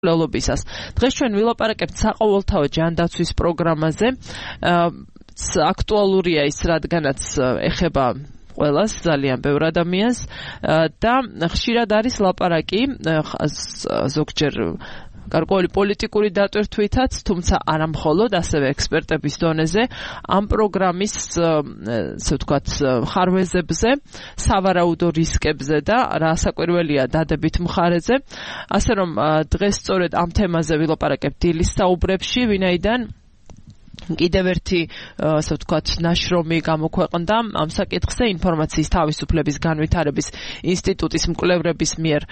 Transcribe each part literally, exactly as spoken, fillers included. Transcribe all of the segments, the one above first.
ლოლობისას. დღეს ჩვენ ვილაპარაკებთ საყოველთაო ჯანდაცვის პროგრამაზე. აქტუალურია ის, რადგანაც ეხება ყველას, ძალიან ბევრ ადამიანს და ხშირად არის ლაპარაკი ზოგჯერ გარკვეული პოლიტიკური დატვირთვითაც, თუმცა არა მხოლოდ, ასევე ექსპერტების დონეზე ამ პროგრამის, ასე ვთქვათ, ხარვეზებზე, სავარაუდო რისკებზე და რასაკვირველია დადებით მხარეზე. ასე რომ დღეს სწორედ ამ თემაზე ვილაპარაკებთ დილის საუბრებში, ვინაიდან კიდევ ერთი, ასე ვთქვათ, ნაშრომი გამოქვეყნდა ამ საკითხზე ინფორმაციის თავისუფლების განვითარების ინსტიტუტის მკვლევრების მიერ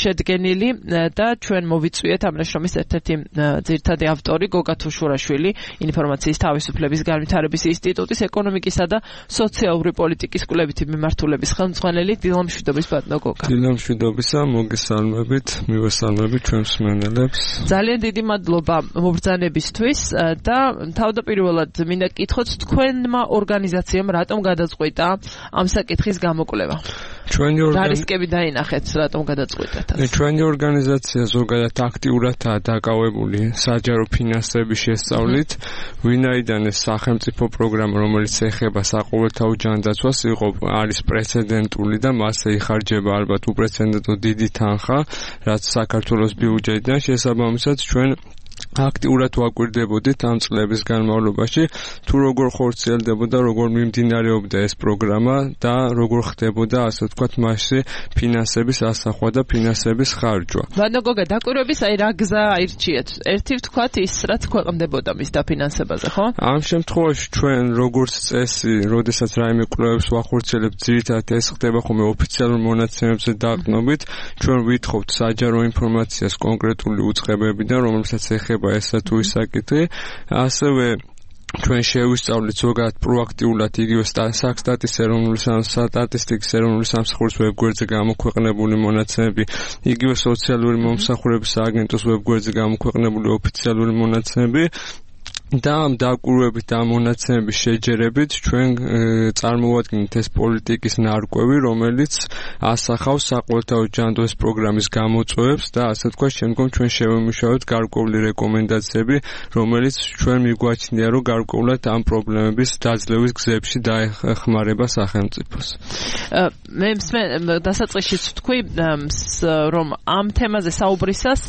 შედგენილი და ჩვენ მოვიწვიეთ ამ ნაშრომის ერთ-ერთი ძირითადი ავტორი გოგა თუშურაშვილი, ინფორმაციის თავისუფლების განვითარების ინსტიტუტის ეკონომიკისა და სოციალური პოლიტიკის კვლევითი მიმართულების ხელმძღვანელი. დილამშვიდობის ბატონო გოგა. დილამშვიდობისა, მოგესალმებით, მივესალმებით ჩვენს მსმენელებს. ძალიან დიდი მადლობა მობრძანებისთვის და თავდაპირველად მინდა გკითხოთ, თქვენმა ორგანიზაციამ რატომ გადაწყვიტა ამ საკითხის გამოკვლევა? ჩვენი ორგანიზაცია რისკები დაინახეთ, რატომ გადაწყვიტეთ? ჩვენი ორგანიზაცია ზოგადად აქტიურადაა დაკავებული საჯარო ფინანსების შესწავლით, ვინაიდან ეს სახელმწიფო პროგრამა, რომელიც ეხება საყოველთაო ჯანდაცვას, იყო არის პრეცედენტული და მასზე იხარჯება ალბათ უპრეცედენტო დიდი თანხა, რაც საქართველოს ბიუჯეტიდან, შესაბამისად ჩვენ აქტიურად ვაკვირდებოდით ამ წლების განმავლობაში, თუ როგორ ხორციელდებოდა, როგორ მიმდინარეობდა ეს პროგრამა და როგორ ხდებოდა, ასე ვთქვათ, მასში ფინანსების ასახვა და ფინანსების ხარჯვა. ბატონო გოგა, დაკვირვების აი რა გზა აირჩიეთ? ერთი ვთქვათ ის, რაც ქვეყნდებოდა მის დაფინანსებაზე, ხო? ამ შემთხვევაში ჩვენ როგორც წესი, როდესაც რაიმე კვლევებს ვახორციელებთ, ძირითადად ეს ხდება ხოლმე ოფიციალურ მონაცემებზე დაყრდნობით, ჩვენ ვითხოვთ საჯარო ინფორმაციას კონკრეტული უწყებებიდან, რომელსაც ეხება ესა თუ ის საკითხი, ასევე ჩვენ შევისწავლით ზოგადად პროაქტიულად იგივე საქსტატის ეროვნული სტატისტიკის ეროვნული სამსახურის ვებგვერდზე გამოქვეყნებული მონაცემები, იგივე სოციალური მომსახურების აგენტოს ვებგვერდზე გამოქვეყნებული ოფიციალური მონაცემები და ამ დაკვირვებით და მონაცემების შეჯერებით ჩვენ წარმოვადგინეთ ეს პოლიტიკის ნარკვევი, რომელიც ასახავს საყოველთაო ჯანდაცვის პროგრამის გამოწვევებს და ასე ვთქვათ, შემდგომ ჩვენ შევიმუშავებთ გარკვეული რეკომენდაციები, რომელიც ჩვენ მიგვაჩნია, რომ გარკვეულად ამ პრობლემების დაძლევის გზებში დაეხმარება სახელმწიფოს. მე დასაწყისშიც ვთქვი, რომ ამ თემაზე საუბრისას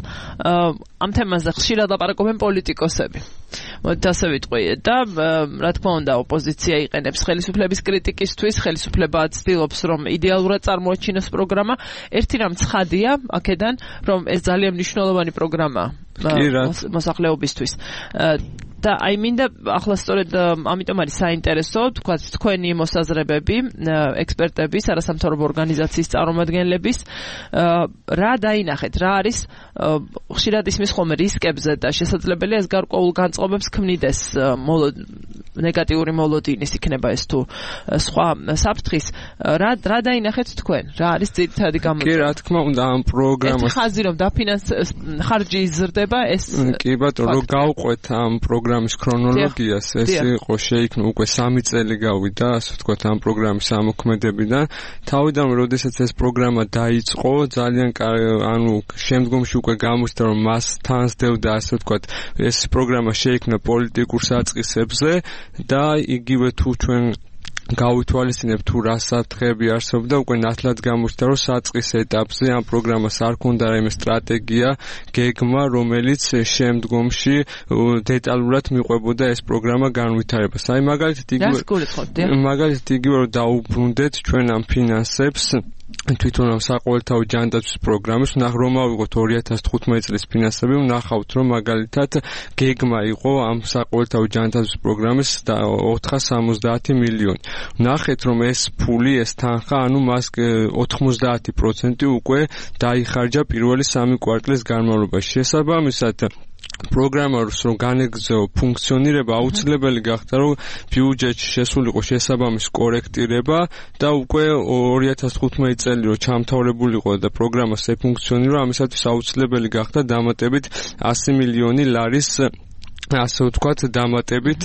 ამ თემაზე ხშირად ლაპარაკობენ პოლიტიკოსები. მოდით ასე ვიტყვი და რა თქმა უნდა ოპოზიცია იყენებს ხელისუფლების კრიტიკისთვის, ხელისუფლება ცდილობს რომ იდეალურად წარმოაჩინოს პროგრამა. ერთი რამ ცხადია აქედან, რომ ეს ძალიან მნიშვნელოვანი პროგრამაა მოსახლეობისთვის. და აი მინდა ახლა სწორედ ამიტომ არის საინტერესო, თქვა თქვენი მოსაზრებები, ექსპერტების, არასამთავრობო ორგანიზაციის წარმომადგენლების, რა დაინახეთ, რა არის ხშირად ისმის ხოლმე რისკებზე და შესაძლებელია ეს გარკვეულ განწყობებს ქმნიდეს ნეგატიური მოლოდინის იქნება ეს თუ სხვა საფრთხის, რა რა დაინახეთ თქვენ? რა არის ძირითადი გამოწვევა? კი, რა თქმა უნდა, ამ პროგრამას ეს ხაზი რომ დაფინანს ხარჯი იზრდება, ეს კი ბატონო, რომ გავყვეთ ამ პროგრამის ქრონოლოგიას, ეს იყო შეიქმნა უკვე სამი წელი გავიდა, ასე ვთქვათ, ამ პროგრამის ამოქმედებიდან. თავიდან, როდესაც ეს პროგრამა დაიწყო, ძალიან ანუ შემდგომში უკვე გამოჩნდა, რომ მას თანსდევდა, ასე ვთქვათ, ეს პროგრამა შეიქმნა პოლიტიკურ საწყისებზე და იგივე თუ ჩვენ გავითვალისწინებთ თუ რა საფრთხეები არსებობდა, უკვე ნათლად გამოჩნდა, რომ საწყის ეტაპზე ამ პროგრამას არ ჰქონდა რაიმე სტრატეგია, გეგმა, რომელიც შემდგომში დეტალურად მიყვებოდა ეს პროგრამა განვითარებას. აი მაგალითად იგივე მაგალითად იგივე რომ დაუბრუნდეთ ჩვენ ამ ფინანსებს თვითონ ამ საყოველთაო ჯანდაცვის პროგრამის, რომ ავიღოთ ორი ათას თხუთმეტი წლის ფინანსები, ვნახავთ, რომ მაგალითად გეგმა იყო ამ საყოველთაო ჯანდაცვის პროგრამის ოთხას სამოცდაათი მილიონი. ვნახეთ, რომ ეს ფული, ეს თანხა, ანუ მას ოთხმოცდაათი პროცენტი უკვე დაიხარჯა პირველი სამი კვარტლის განმავლობაში. შესაბამისად პროგრამას რომ განეგრძო ფუნქციონირება, აუცილებელი გახდა, რომ ბიუჯეტში შესულიყო შესაბამის კორექტირება და უკვე ორი ათას თხუთმეტი წელი რომ ჩამთავრებულიყო და პროგრამას ეფუნქციონირება, ამისათვის აუცილებელი გახდა დამატებით ასი მილიონი ლარის ასე ვთქვათ, დამატებით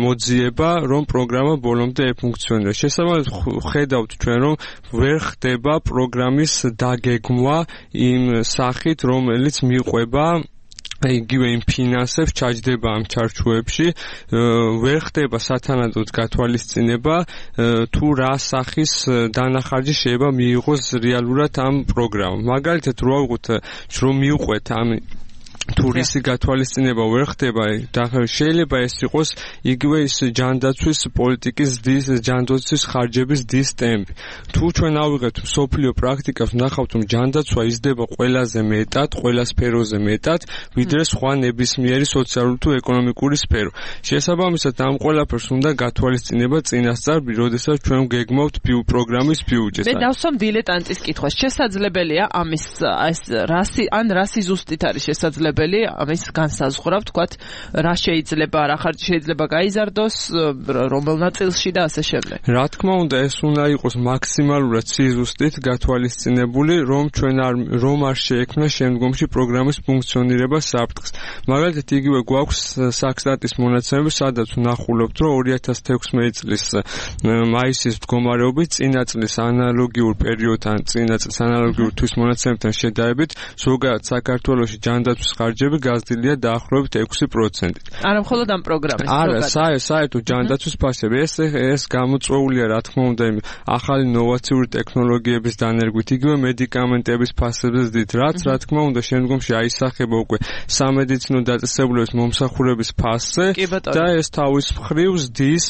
მოძიება, რომ პროგრამა ბოლომდე ეფუნქციონირებს. შესაბამისად, ხედავთ ჩვენ, რომ ვერ ხდება პროგრამის დაგეგმვა იმ სახით, რომელიც მიყვება იგივე იმ ფინანსებს ჩაჯდება ამ ჩარჩოებში, ვერ ხდება სათანადოდ გათვალისწინება, თუ რა სახის დანახარჯი შეიძლება მიიღოს რეალურად ამ პროგრამამ. მაგალითად, რო ავიღოთ, რომ მიუყვეთ ამ თურისი გათვალისწინება ვერ ხდება და შეიძლება ეს იყოს იგივე ის ჯანდაცვის პოლიტიკის დის ჯანდაცვის ხარჯების დის ტემპი. თუ ჩვენ ავიღებთ სოფლიო პრაქტიკას, ვნახავთ რომ ჯანდაცვა იზრდება ყველაზე მეტად, ყველა სფეროზე მეტად, ვიდრე სხვა ნებისმიერი სოციალური თუ ეკონომიკური სფერო. შესაბამისად, ამ ყველაფერს უნდა გათვალისწინება წინასწარ, როდესაც ჩვენ გეგმავთ პროგრამის ბიუჯეტს. მე დავსვამ დილეტანტის კითხვას. შესაძლებელია ამის ეს რასი ან რასი ზუსტით არის შესაძლებელი ამის განსაზღვრა, ვთქვათ, რა შეიძლება, რა ხარჯი შეიძლება გაიზარდოს, რომელ ნაწილში და ასე შემდეგ. რა თქმა უნდა, ეს უნდა იყოს მაქსიმალურად სიზუსტით გათვალისწინებული, რომ ჩვენ არ რომ არ შეექმნა შემდგომში პროგრამის ფუნქციონირება საფრთხეს. მაგალითად, იგივე გვაქვს საქსტატის მონაცემები, სადაც ვნახულობთ, რომ ორი ათას თექვსმეტი წლის მაისის მდგომარეობით წინა წლის ანალოგიურ პერიოდთან, წინა წლის ანალოგიურ თვის მონაცემებთან შედარებით, ზოგადად საქართველოში ჯანდაცვის ხარჯები გაზრდილია დაახლოებით ექვსი პროცენტით. არა მხოლოდ ამ პროგრამის. არა, საერთოდ ჯანდაცვის ფასები ეს ეს გამოწვეულია, რა თქმა უნდა, იმ ახალი ნოვაციური ტექნოლოგიების დანერგვით, იგივე მედიკამენტების ფასების ზრდით, რაც რა თქმა უნდა შემდგომში აისახება უკვე სამედიცინო დაწესებულების მომსახურების ფასზე და ეს თავის მხრივ ზრდის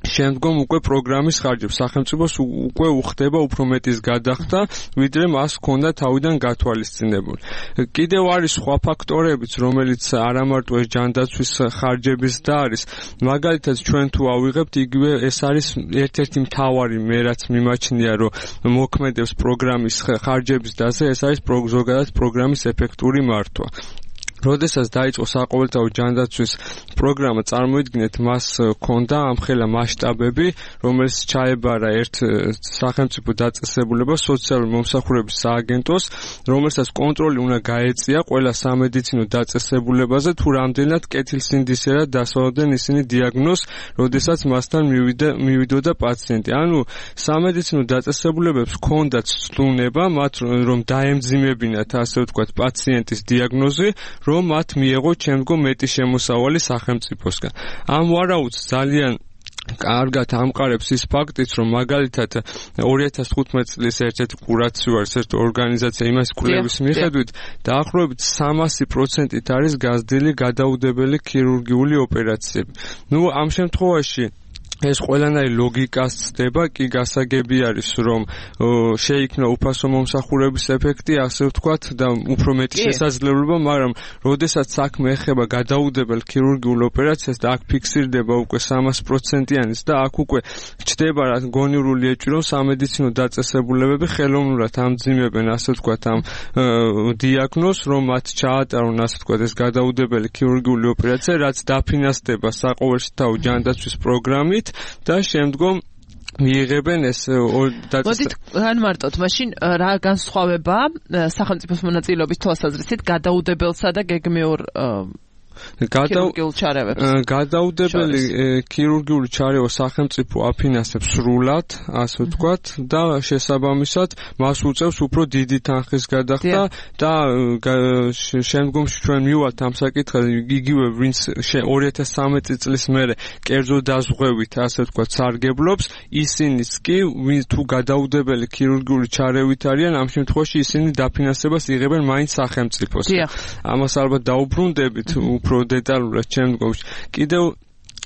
შემდგომ უკვე პროგრამის ხარჯებს. სახელმწიფოს უკვე უხდება უფრო მეტის გადახდა, ვიდრე მას ჰქონდა თავიდან გათვალისწინებული. კიდევ არის სხვა ფაქტორებიც, რომელიც არა მარტო ეს ჯანდაცვის ხარჯების და არის. მაგალითად, ჩვენ თუ ავიღებთ, იგივე ეს არის ერთ-ერთი მთავარი, მე რაც მიმაჩნია, რომ მოქმედებს პროგრამის ხარჯების დაზე, ეს არის ზოგადად პროგრამის ეფექტური მართვა. როდესაც დაიწყო საყოველთაო ჯანდაცვის პროგრამა, წარმოიდგინეთ, მას ჰქონდა ამხელა მასშტაბები, რომელიც ჩაებარა ერთ სახელმწიფო დაწესებულებას, სოციალური მომსახურების სააგენტოს, რომელსაც კონტროლი უნდა გაეწია ყველა სამედიცინო დაწესებულებაზე, თუ რამდენად კეთილსინდისერად დასავლდნენ ისინი დიაგნოზს, როდესაც მასთან მივიდა მივიდოდა პაციენტი. ანუ სამედიცინო დაწესებულებებს ჰქონდათ ცდუნება, მათ რომ დაემძიმებინათ, ასე ვთქვათ, პაციენტის დიაგნოზი, რომ მათ მიეღოთ შემდგომ მეტი შემოსავალი სახელმწიფოსგან. ამ ვარაუდს ძალიან კარგად ამყარებს ის ფაქტიც, რომ მაგალითად ორი ათას თხუთმეტი წლის ერთ-ერთი კურაციო არის, ერთ ორგანიზაცია იმას კვლევის მიხედვით, დაახლოებით სამასი პროცენტით არის გაზრდილი გადაუდებელი ქირურგიული ოპერაციები. ნუ ამ შემთხვევაში ეს ყველანაირი ლოგიკას ცდება, კი გასაგები არის, რომ შეიქმნა უფასო მომსახურების ეფექტი, ასე ვთქვათ, და უფრო მეტი შესაძლებლობა, მაგრამ როდესაც საქმე ეხება გადაუდებელ ქირურგიულ ოპერაციას და აქ ფიქსირდება უკვე სამასი პროცენტიანიც და აქ უკვე ჩდება რა გონივრული ეჭვი, რომ სამედიცინო დაწესებულებები ხელოვნურად ამძიმებენ, ასე ვთქვათ, ამ დიაგნოზს, რომ მათ ჩაატარონ, ასე ვთქვათ, ეს გადაუდებელი ქირურგიული ოპერაცია, რაც დაფინანსდება საყოველთაო ჯანდაცვის პროგრამით და შემდგომ მიიღებენ ეს მოდით განმარტოთ, მაშინ რა განსხვავებაა სახელმწიფოს მონაწილეობის თვალსაზრისით გადაუდებელსა და გეგმიურ ქირურგიულ ჩარევებს. გადაუდებელი ქირურგიული ჩარევა სახელმწიფო აფინანსებს სრულად, ასე ვთქვათ, და შესაბამისად მას უწევს უფრო დიდი თანხის გადახდა და შემდგომში ჩვენ მივვალთ ამ საკითხად, იგივე ვინც ორი ათას ცხრამეტი წლის მერე კერძო დაზღვევით, ასე ვთქვათ, სარგებლობს, ისინიც კი ვინც თუ გადაუდებელი ქირურგიული ჩარევით არიან, ამ შემთხვევაში ისინი დაფინანსებას იღებენ მაინც სახელმწიფოსგან. ამას ალბათ დაუბრუნდებით უფრო დეტალურად შემდგომში. კიდევ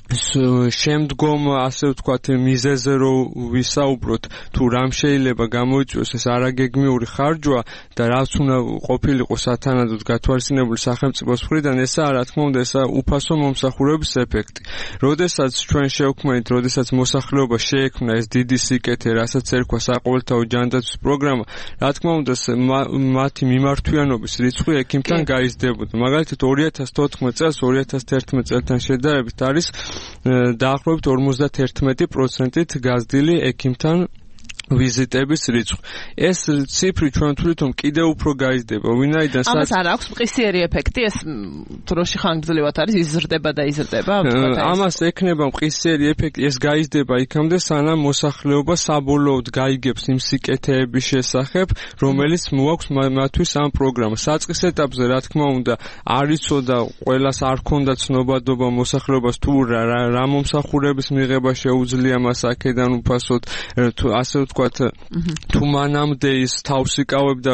შემდგომ, ასე ვთქვათ, მიზეზზე რო ვისაუბროთ, თუ რამ შეიძლება გამოიწვიოს ეს არაგეგმიური ხარჯვა და რაც უნდა ყოფილიყო სათანადოდ გათვალისწინებული სახელმწიფოს მხრიდან, ესაა, რა თქმა უნდა, ესაა უფასო მომსახურების ეფექტი. როდესაც ჩვენ შევქმნით, როდესაც მოსახლეობა შეექმნა ეს დიდი სიკეთე, რასაც ერქვა საყოველთაო ჯანდაცვის პროგრამა, რა თქმა უნდა, მათი მიმართვიანობის რიცხვი ექიმთან გაიზრდებოდა. მაგალითად, ორი ათას თოთხმეტ წელს ორი ათას თერთმეტ წელთან შედარებით არის დაახლოებით ორმოცდათერთმეტი პროცენტით გაზრდილი ექიმთან ვიზიტების რიცხვი. ეს ციფრი ჩვენ თვითონ კიდევ უფრო გაიზრდება, ვინაიდან ამას არ აქვს მყისიერი ეფექტი, ეს დროში ხანგრძლივად არის იზრდება და იზრდება. ამას ექნება მყისიერი ეფექტი, ეს გაიზრდება იქამდე, სანამ მოსახლეობა საბოლოოდ გაიგებს იმ სიკეთეების შესახებ, რომელიც მოაქვს მათთვის ამ პროგრამას. საწყის ეტაპზე, რა თქმა უნდა, არ იცოდა, ყველას არ ქონდა ცნობადობა მოსახლეობას თუ რა მომსახურების მიღება შეუძლია მას აქედან უფასოდ, ასე თუ მანამდე ის თავს იკავებდა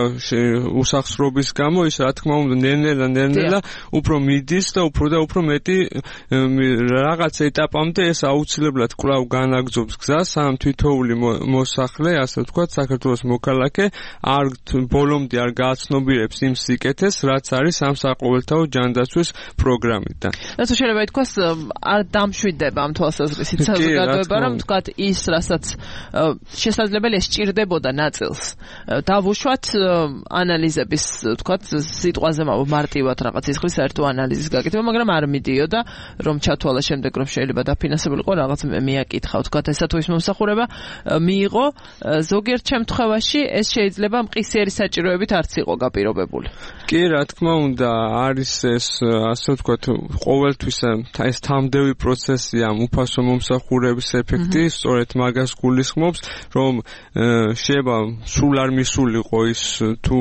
უსახსრობის გამო, ის რა თქმა უნდა ნელ-ნელა ნელ-ნელა უფრო მიდის და უფრო და უფრო მეტი რაღაც ეტაპამდე ეს აუცილებლად კვლავ განაგრძობს გზას, სანამ თითოეული მოსახლე, ასე ვთქვათ, საქართველოს მოქალაქე არ ბოლომდე არ გააცნობიერებს იმ სიკეთეს, რაც არის ამ საყოველთაო ჯანდაცვის პროგრამიდან. რაც შეიძლება ითქვას, არ დამშვიდდება ამ თვალსაზრისით საზოგადოება, რომ ვთქვათ, ის, რასაც შესაძლებელია სჭირდებოდა ნაწილს დავუშვათ ანალიზების, ვთქვათ, სიტყვაზე მარტივად რაღაც სიხრის საერთო ანალიზის გაკეთება, მაგრამ არ მიდიოდა, რომ ჩათვალა შემდეგ, რომ შეიძლება დაფინანსებულიყო რაღაც მიაკითხა, ვთქვათ, ესა თუ ის მომსახურება მიიღო, ზოგიერთ შემთხვევაში ეს შეიძლება მყისიერი საჭიროებით არც იყო გაპირობებული. კი, რა თქმა უნდა, არის ეს, ასე ვთქვათ, ყოველთვის ეს თამდევი პროცესია, უფასო მომსახურების ეფექტი, სწორედ მაგას გულისხმობს, რომ შეიძლება სულ არ მისულიყო ის თუ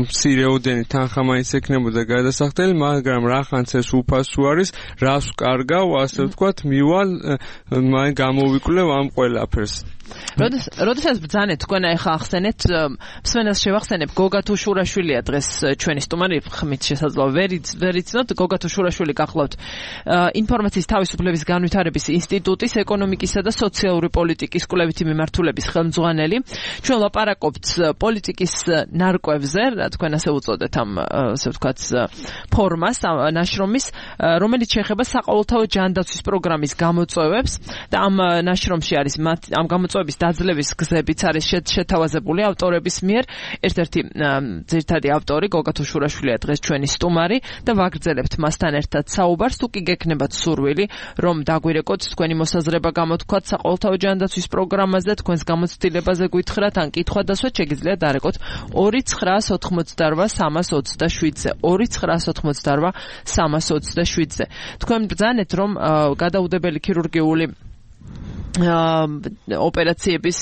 მცირეოდენი თანხა მაინც ექნებოდა გადასახდელი, მაგრამ რახანც ეს უფასო არის, რას ვკარგავ, ასე ვთქვათ, მივალ, მაინ გამოვიკლევ ამ ყველაფერს. როდესაც ბრძანეთ თქვენ ახლა ახსენეთ მსმენელს შევახსენებ გოგა თუშურაშვილია დღეს ჩვენი სტუმარი ხმით შესაძლოა ვერ იცნოთ გოგა თუშურაშვილი გახლავთ ინფორმაციის თავისუფლების განვითარების ინსტიტუტის ეკონომიკისა და სოციალური პოლიტიკის კვლევითი მიმართულების ხელმძღვანელი ჩვენ ლაპარაკობთ პოლიტიკის ნარკვევზე რა თქვენ ასე უწოდეთ ამ ასე ვთქვათ ფორმას ნაშრომის რომელიც შეეხება საყოველთაო ჯანდაცვის პროგრამის გამოწვევებს და ამ ნაშრომში არის ამ გამოწვევების დაძლევის გზებიც არის შეთავაზებული ავტორების მიერ. ერთ-ერთი ძირითადი ავტორი გოგა თუშურაშვილია დღეს ჩვენი სტუმარი და ვაგრძელებთ მასთან ერთად საუბარს. თუ კი გექნებათ სურვილი, რომ დაგვირეკოთ თქვენი მოსაზრება გამოთქვათ საყოველთაო ჯანდაცვის პროგრამაზე, თქვენს გამოცდილებაზე გვითხრათ, ან კითხვა დასვათ, შეგიძლიათ დარეკოთ ორი ცხრაას ოცდაოთხმოცდაორვა სამას ოცდაშვიდზე. ორი ცხრაას ოცდაოთხმოცდაორვა სამას ოცდაშვიდზე. თქვენ ბრძანეთ, რომ გადაუდებელი ქირურგიული ოპერაციების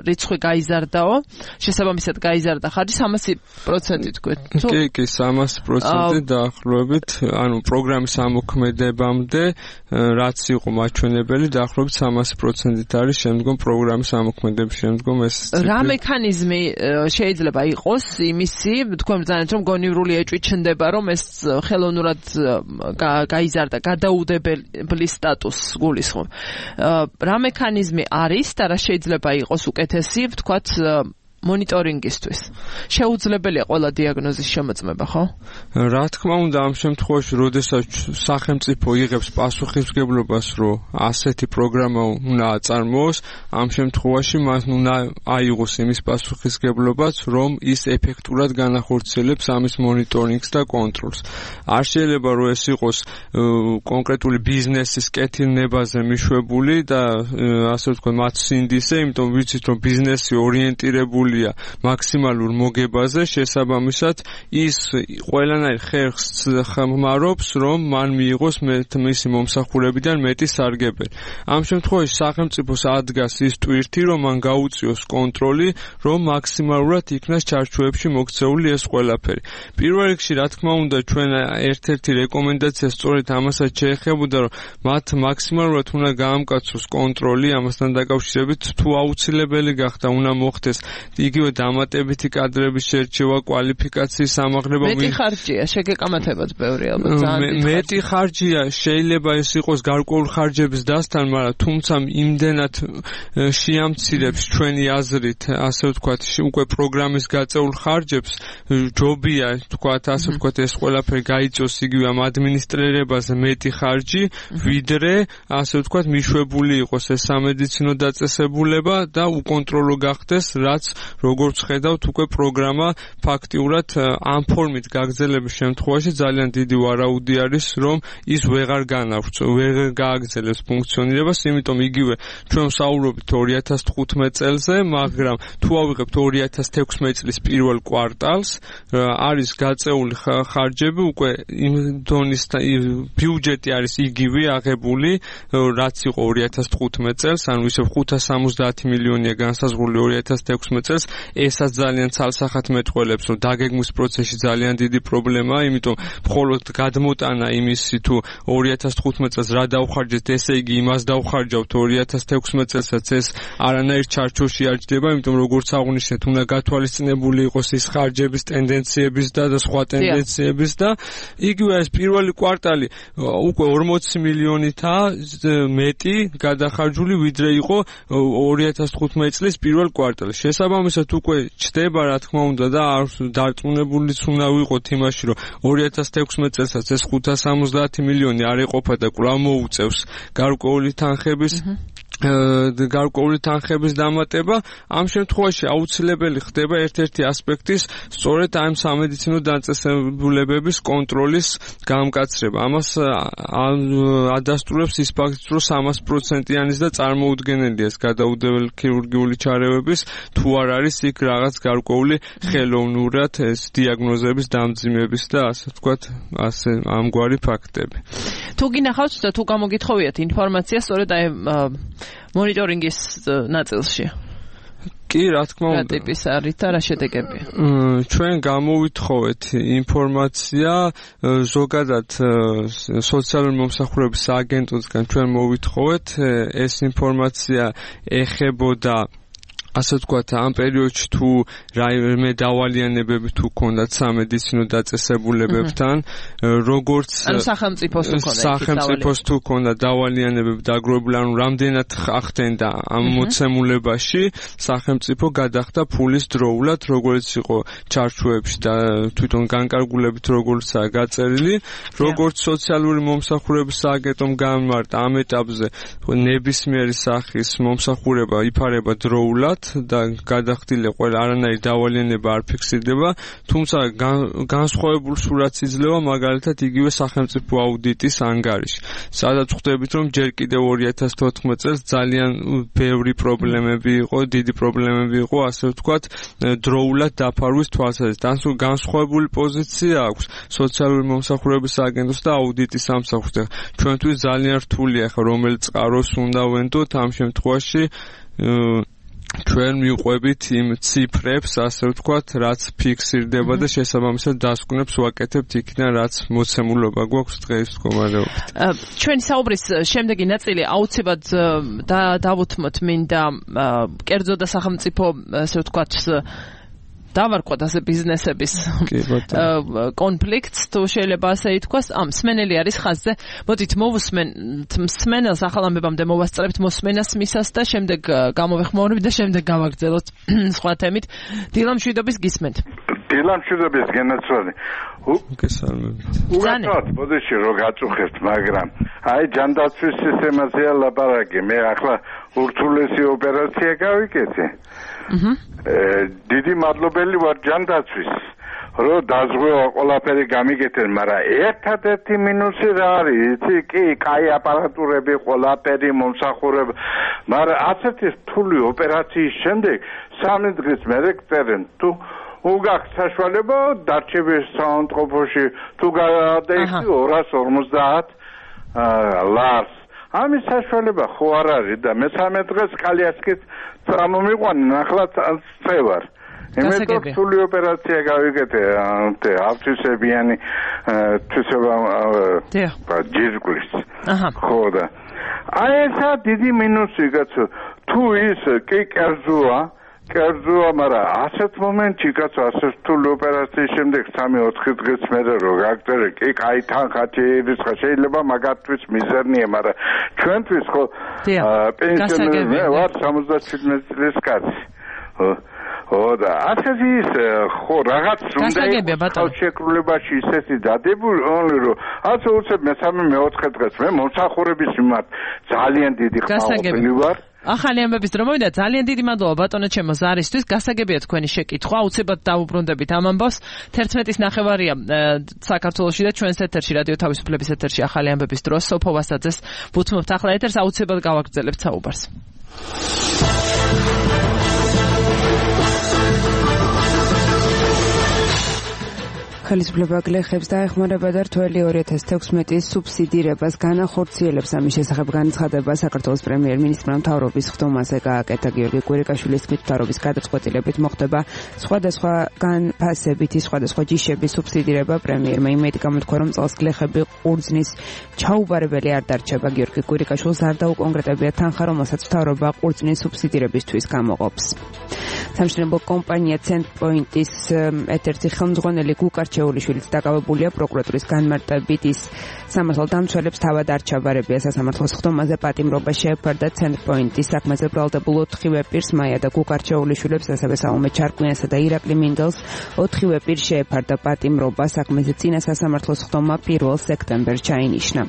რიცხვი გაიზარდაო, შესაბამისად გაიზარდა ხარჯი სამასი პროცენტი თქვენ. კი, კი, სამასი პროცენტი დაახლოებით, ანუ პროგრამის ამოქმედებამდე, რაც იყო მაჩვენებელი, დაახლოებით სამასი პროცენტით არის შემდგომ პროგრამის ამოქმედების შემდგომ ეს რა მექანიზმი შეიძლება იყოს იმისი, თქვენ ბრძანეთ, რომ გონივრული ეჭვი ჩნდება, რომ ეს ხელოვნურად გაიზარდა, გადაუდებელი სტატუსს გულისხმობ. რა მექანიზმი არის და რა შეიძლება იყოს უკეთესი, ვთქვათ, მონიტორინგისთვის. შეუძლებელია ყველა დიაგნოზის შემოწმება, ხო? რა თქმა უნდა, ამ შემთხვევაში, როდესაც სახელმწიფო იღებს პასუხისმგებლობას, რომ ასეთი პროგრამა უნდა აწარმოოს, ამ შემთხვევაში მას უნდა აიღოს იმის პასუხისმგებლობაც, რომ ის ეფექტურად განახორციელებს ამის მონიტორინგს და კონტროლს. არ შეიძლება, რომ ეს იყოს კონკრეტული ბიზნესის კეთილნებაზე მიშვებული და ასე ვთქვათ, მათ სინდისზე, იმიტომ ვიცით, რომ ბიზნესი ორიენტირებული მაქსიმალურ მოგებაზე, შესაბამისად ის ყველანაირ ხერხს ხმარობს, რომ მან მიიღოს მისი მომსახურებიდან მეტი სარგებელი. ამ შემთხვევაში სახელმწიფოს ადგას ის ტვირთი, რომ მან გაუწიოს კონტროლი, რომ მაქსიმალურად იქნას ჩარჩოებში მოქცეული ეს ყველაფერი. პირველ რიგში, რა თქმა უნდა, ჩვენ ერთ-ერთი რეკომენდაცია სწორედ ამასაც შეეხებოდა, რომ მათ მაქსიმალურად უნდა გაამკაცოს კონტროლი ამასთან დაკავშირებით, თუ აუცილებელი გახდა, უნდა მოხდეს იგივე დამატებითი კადრების შერჩევა, კვალიფიკაციის ამაღლება. მეტი ხარჯია, შეგეკამათებათ ბევრი ალბათ ძალიან. მეტი ხარჯია, შეიძლება ეს იყოს გარკვეული ხარჯების დასთან, მაგრამ თუმცა იმდენად შეამცირებს ჩვენი აზრით, ასე ვთქვათ, უკვე პროგრამის გაწეულ ხარჯებს, ჯობია, ვთქვათ, ასე ვთქვათ, ეს ყველაფერი გაიწოს იგივე ამ ადმინისტრირებაზე მეტი ხარჯი, ვიდრე, ასე ვთქვათ, მიშვებული იყოს ეს სამედიცინო დაწესებულება და უკონტროლო გახდეს, რაც როგორც ხედავთ, უკვე პროგრამა ფაქტიურად ამ ფორმით გაგრძელების შემთხვევაში ძალიან დიდი ვარაუდი არის, რომ ის ვეღარ განავრცო, ვეღარ გააგრძელებს ფუნქციონირებას, იმიტომ იგივე ჩვენ ვსაუბრობთ ორი ათას თხუთმეტ წელზე, მაგრამ თუ ავიღებთ ორი ათას თექვსმეტ წლის პირველ კვარტალს, არის გაწეული ხარჯები უკვე იმ დონის ბიუჯეტი არის იგივე აღებული, რაც იყო ორი ათას თხუთმეტ წელს, ანუ ისევ ხუთას სამოცდაათი მილიონია განსაზღვრული ორი ათას თექვსმეტ წელს, ესაც ძალიან ცალსახად მეტყველებს, რომ დაგეგმვის პროცესში ძალიან დიდი პრობლემაა, იმიტომ მხოლოდ გადმოტანა იმისი თუ ორი ათას თხუთმეტ წელს რა დავხარჯეთ, ესე იგი იმას დავხარჯავთ ორი ათას თექვსმეტ წელსაც ეს არანაირ ჩარჩოში არ ჯდება, იმიტომ როგორც აღნიშნეთ, უნდა გათვალისწინებული იყოს ის ხარჯების ტენდენციების და და სხვა ტენდენციების და იგივე ეს პირველი კვარტალი უკვე ორმოცი მილიონითაა მეტი გადახარჯული, ვიდრე იყო ორი ათას თხუთმეტ წლის პირველ კვარტალში. შესაბამისად უკვე ჩდება, რა თქმა უნდა, და არ დარწმუნებულიც უნდა ვიყოთ იმაში, რომ ორი ათას თექვსმეტ წელსაც ეს ხუთას სამოცდაათი მილიონი არ ეყოფა და კვლავ მოუწევს გარკვეული თანხების გარკვეული თანხების დამატება. ამ შემთხვევაში აუცილებელი ხდება ერთ-ერთი ასპექტის სწორედ ამ სამედიცინო დაწესებულებების კონტროლის გამკაცრება. ამას ადასტურებს ის ფაქტიც, რომ სამას პროცენტიანის და წარმოუდგენელია ეს გადაუდებელი ქირურგიული ჩარევების, თუ არ არის იქ რაღაც გარკვეული ხელოვნურად ეს დიაგნოზების დამძიმების და ასე ვთქვათ, ასე ამგვარი ფაქტები. თუ გინახავთ და თუ გამოგითხოვიათ ინფორმაცია სწორედ აი მონიტორინგის ნაწილში. კი, რა თქმა უნდა. რა ტიპის არის და რა შედეგებია? ჩვენ გამოვითხოვეთ ინფორმაცია ზოგადად სოციალური მომსახურების სააგენტოსგან ჩვენ მოვითხოვეთ, ეს ინფორმაცია ეხებოდა ასე ვთქვათ, ამ პერიოდში თუ რაიმე დავალიანებები თუ ქონდათ სამედიცინო დაწესებულებებთან, როგორც ანუ სახელმწიფოს თუ ქონდათ სახელმწიფოს თუ ქონდათ დავალიანებები დაგროვებული, ანუ რამდენად ახდენდა ამ მოცემულებაში, სახელმწიფო გადახდა ფულის დროულად, როგორც იყო ჩარჩოებში და თვითონ განკარგულებით როგორცაა გაწერილი, როგორც სოციალური მომსახურების სააგენტომ გამართა ამ ეტაპზე ნებისმიერი სახის მომსახურება იფარება დროულად და გადახდილი ყველა არანაირი დავალიანება არ ფიქსირდება, თუმცა განსხვავებულ სურათს იძლევა მაგალითად იგივე სახელმწიფო აუდიტის ანგარიში, სადაც ხვდებით, რომ ჯერ კიდევ ორი ათას თოთხმეტ წელს ძალიან ბევრი პრობლემები იყო, დიდი პრობლემები იყო, ასე ვთქვათ, დროულად დაფარვის თვალსაზრისით. ანუ განსხვავებული პოზიცია აქვს სოციალური მომსახურების სააგენტოს და აუდიტის სამსახურს. ჩვენთვის ძალიან რთულია ხა რომელ წყაროს უნდა ვენდოთ ამ შემთხვევაში ჩვენ მივყვებით იმ ციფრებს, ასე ვთქვათ, რაც ფიქსირდება და შესაბამისად დასკვნებს ვაკეთებთ იქიდან, რაც მოცემულობა გვაქვს დღეს მდგომარეობით. ჩვენი საუბრის შემდეგი ნაწილი აუცილებლად დავუთმოთ მინდა კერძო და სახელმწიფო, ასე ვთქვათ, დავარქვათ ასე ბიზნესების კონფლიქტს, თუ შეიძლება ასე ითქვას, ამ მსმენელი არის ხაზზე. მოდით მოვუსმენთ მსმენელს, ახალ ამბებამდე მოვასწრებთ მოსმენას მისას და შემდეგ გამოვეხმაურებით და შემდეგ გავაგრძელოთ სხვა თემით. დილამ მშვიდობის გისმენთ. დილამ მშვიდობის გენაცვლები. გესალმებით. უგაცოთ, ბოდიში რო გაწუხებთ, მაგრამ აი ჯანდაცვის სისტემაზეა ლაპარაკი. მე ახლა ურთულესი ოპერაცია გავიკეთე. აჰა. დიდი მადლობელი ვარ ჯანდაცვის, რომ დაზღვევა ყველაფერი გამიგეთენ, მაგრამ ერთადერთი მინუსი რა არის? იცი, კი, კაი აპარატურები, ყველაფერი მომსახურება, მაგრამ ასეთი რთული ოპერაციის შემდეგ სამი დღის მერე გწერენ, თუ უგახ საშუალება დარჩების საავადმყოფოში, თუ გადაიქცი ორას ორმოცდაათ ლარს. ამის საშუალება ხო არ არის და მესამე დღეს კალიასკით წამომიყვანენ, ახლა წევარ. იმიტომ რთული ოპერაცია გავიკეთე, ავთვისებიანი თვისება ჯირკვლის. ხო და აი ესა დიდი მინუსი კაცო, თუ ის კი კერძოა, კერძოა, მაგრამ ასეთ მომენტში კაცო, ასე რთული ოპერაციის შემდეგ სამი ოთხი დღის მერე რო გაგწერე, კი კაი თანხა ჭირისხა, შეიძლება მაგათთვის მიზერნია, მაგრამ ჩვენთვის ხო პენსიონერები ვარ სამოცდაშვიდმეტ წლის კაცი. ო და ასეთი ის ხო რაღაც უნდა შეკრულებაში ისეთი დადებული, რომ ასე უცებ მესამე მეოთხე დღეს მე მომსახურების მიმართ ძალიან დიდი ხმაურები ვარ. ახალი ამბების დრო მოვიდა. ძალიან დიდი მადლობა ბატონო ჩემო ზარისთვის. გასაგებია თქვენი შეკითხვა. აუცილებლად დავუბრუნდებით ამ ამბავს. თერთმეტის ნახევარია საქართველოში და ჩვენს ეთერში რადიო თავისუფლების ეთერში ახალი ამბების დროს სოფო ვასაძეს ვუთმობთ ახლა ეთერს. აუცილებლად გავაგრძელებთ საუბარს. ხელისუფლება გლეხებს დაეხმარება და რთველი ორი ათას თექვსმეტის სუბსიდირებას განახორციელებს. ამის შესახებ განცხადება საქართველოს პრემიერ-მინისტრმა მთავრობის ხდომაზე გააკეთა. გიორგი კვირიკაშვილის თქმით, მთავრობის გადაწყვეტილებით მოხდება სხვადასხვა განფასებითი სხვადასხვა ჯიშების სუბსიდირება. პრემიერმა იმედი გამოთქვა, რომ წელს გლეხები ყურძნის ჩაუბარებელი არ დარჩება. გიორგი კვირიკაშვილს არ დაუკონკრეტებია თანხა, რომელსაც მთავრობა ყურძნის სუბსიდირებისთვის გამოყოფს. სამშენებლო კომპანია ცენტრპოინტის ერთ-ერთი ხელმძღვანელი გუკარ ჩეულიშვილიც დაკავებულია პროკურატურის განმარტებით. ის სამართალდამცველებს თავად არ ჩაბარებია. სასამართლოს ხდომაზე პატიმრობა შეეფარდა ცენტრპოინტის საქმეზე ბრალდებულ ოთხივე პირს, მაია და გუკარ ჩეულიშვილებს, ასევე საომე ჩარკვიანსა და ირაკლი მინდელს ოთხივე პირს შეეფარდა პატიმრობა. საქმეზე წინა სასამართლოს ხდომა პირველ სექტემბერს ჩაინიშნა.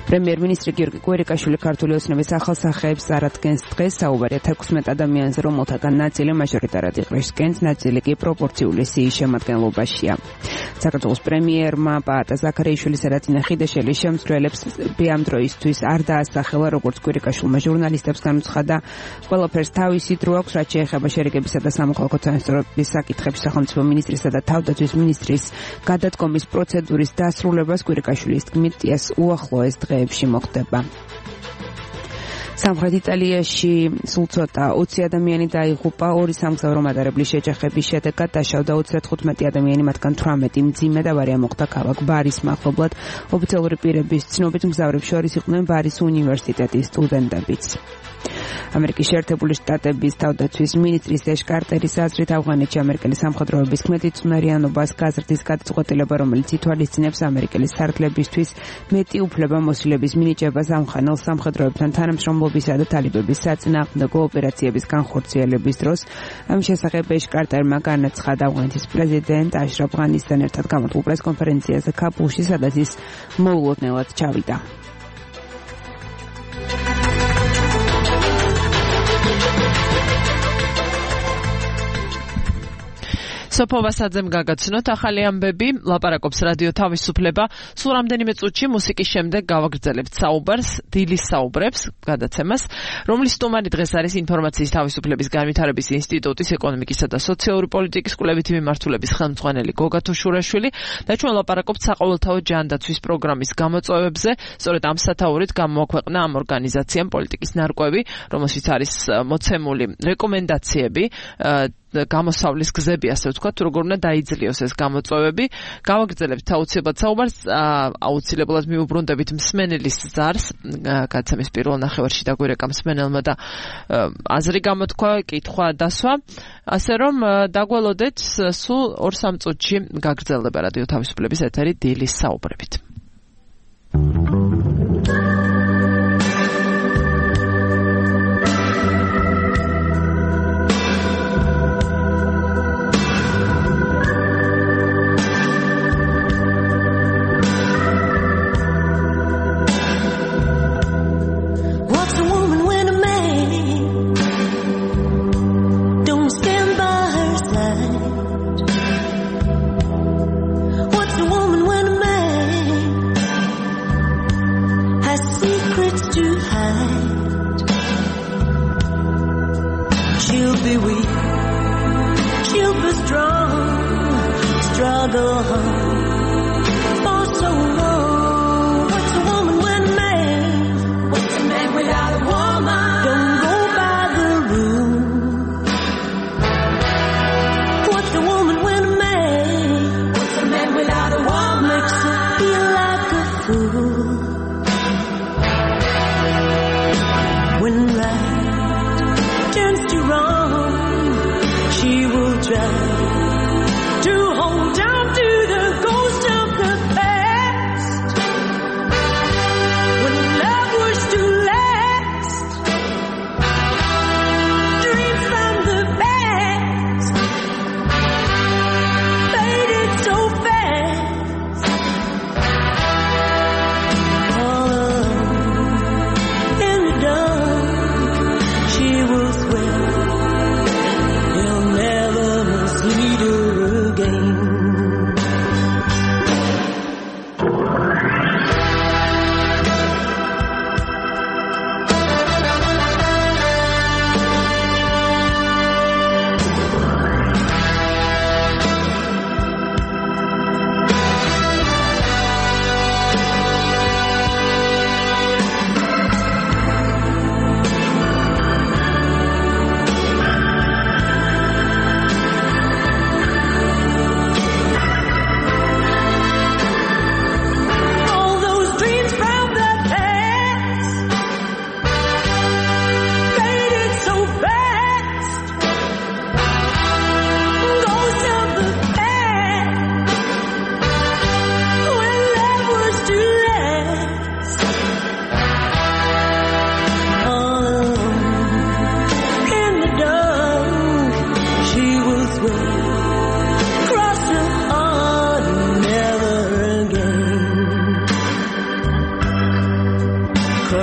პრემიერ-მინისტრი გიორგი კვირიკაშვილი ქართული ოცნების ახალსახეებს წარადგენს დღეს. საუბარია თექვსმეტ ადამიანზე, რომელთაგან ნაწილი მაჟორიტარად იყრისკენს, ნაწილი კი პროპორციული სიის შემადგენლობაშია. საქართველოს პრემიერმა პაატა ზაქარიაშვილისა და წინა ხიდაშელის შემცვლელებს ამ დროისთვის არ დაასახელა, როგორც კვირიკაშვილმა ჟურნალისტებს განუცხადა. ყველაფერს თავისი დრო აქვს, რაც შეეხება შერიგებისა და სამოქალაქო თანასწორობის საკითხებს. სახელმწიფო მინისტრისა და თავდაცვის მინისტრის გადადგომის პროცედურის დასრულებას კვირიკაშვილის თქმით უახლოეს დღეებში მოხდება. სამხრეთ იტალიაში სულ ცოტა ოცი ადამიანი დაიღუპა. ორი სამგზავრო მატარებლის შეჯახების შედეგად დაშავდა ოცდათხუთმეტი ადამიანი, მათგან თვრამეტი მძიმე და ავარია მოხდა ქალაქ ბარის მახლობლად. ოფიციალური პირების ცნობით მგზავრებს შორის იყვნენ ბარის უნივერსიტეტის სტუდენტებიც. ამერიკის შეერთებული შტატების თავდაცვის მინისტრის ეშ კარტერის აზრით, ავღანეთში ამერიკელი სამხედროების ქმედი წვნერიანობას გაზრდის გადაწყვეტილება, რომელიც ითვალისწინებს ამერიკელი სარდლებისთვის მეტი უფლებამოსილების მინიჭებას ამხანელ სამხედროებთან თანამშრომლობისა და თალიბების საწინააღმდეგო ოპერაციების განხორციელების დროს. ამის შესახებ ეშ კარტერმა განაცხადა ავღანეთის პრეზიდენტ აშრაფ ღანისთან ერთად გამოთვლილ პრესკონფერენციაზე ქაბულში, სადაც ის მოულოდნელად ჩავიდა. სოფო ვასაძემ გაგაცნოთ ახალი ამბები. ლაპარაკობს რადიო თავისუფლება. სულ რამდენიმე წუთში მუსიკის შემდეგ გავაგრძელებთ საუბარს, დილის საუბრებს, გადაცემას, რომლის სტუმარი დღეს არის ინფორმაციის თავისუფლების განვითარების ინსტიტუტის ეკონომიკისა და სოციალური პოლიტიკის კვლევითი მიმართულების ხელმძღვანელი გოგა თუშურაშვილი და ჩვენ ლაპარაკობთ საყოველთაო ჯანდაცვის პროგრამის გამოწვევებზე. სწორედ ამ სათაურით გამოაქვეყნა ამ ორგანიზაციამ პოლიტიკის ნარკვევი, რომელშიც არის მოცემული რეკომენდაციები გამოსავლის გზები, ასე ვთქვათ, როგორ უნდა დაიძლიოს ეს გამოწვევები. გავაგრძელებთ აუცილებლად საუბარს, აუცილებლად მიუბრუნდებით მსმენელის ზარს, გადაცემის პირველ ნახევარში დაგვირეკა მსმენელმა და აზრი გამოთქვა, კითხვა დასვა, ასე რომ დაგველოდეთ სულ ორ სამ წუთში გაგრძელდება რადიო თავისუფლების ეთერი დილის საუბრებით.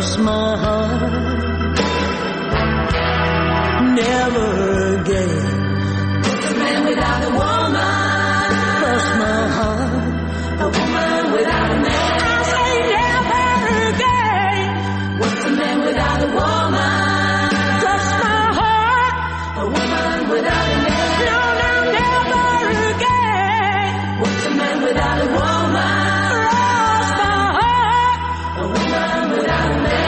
cross my heart. Never again. What's a man without a woman? Cross my heart. A woman without a man. I say never again. What's a man without a woman? Cross my heart. A woman without a man. No, no, never again. What's a man without a woman? Cross my heart. A woman without a man.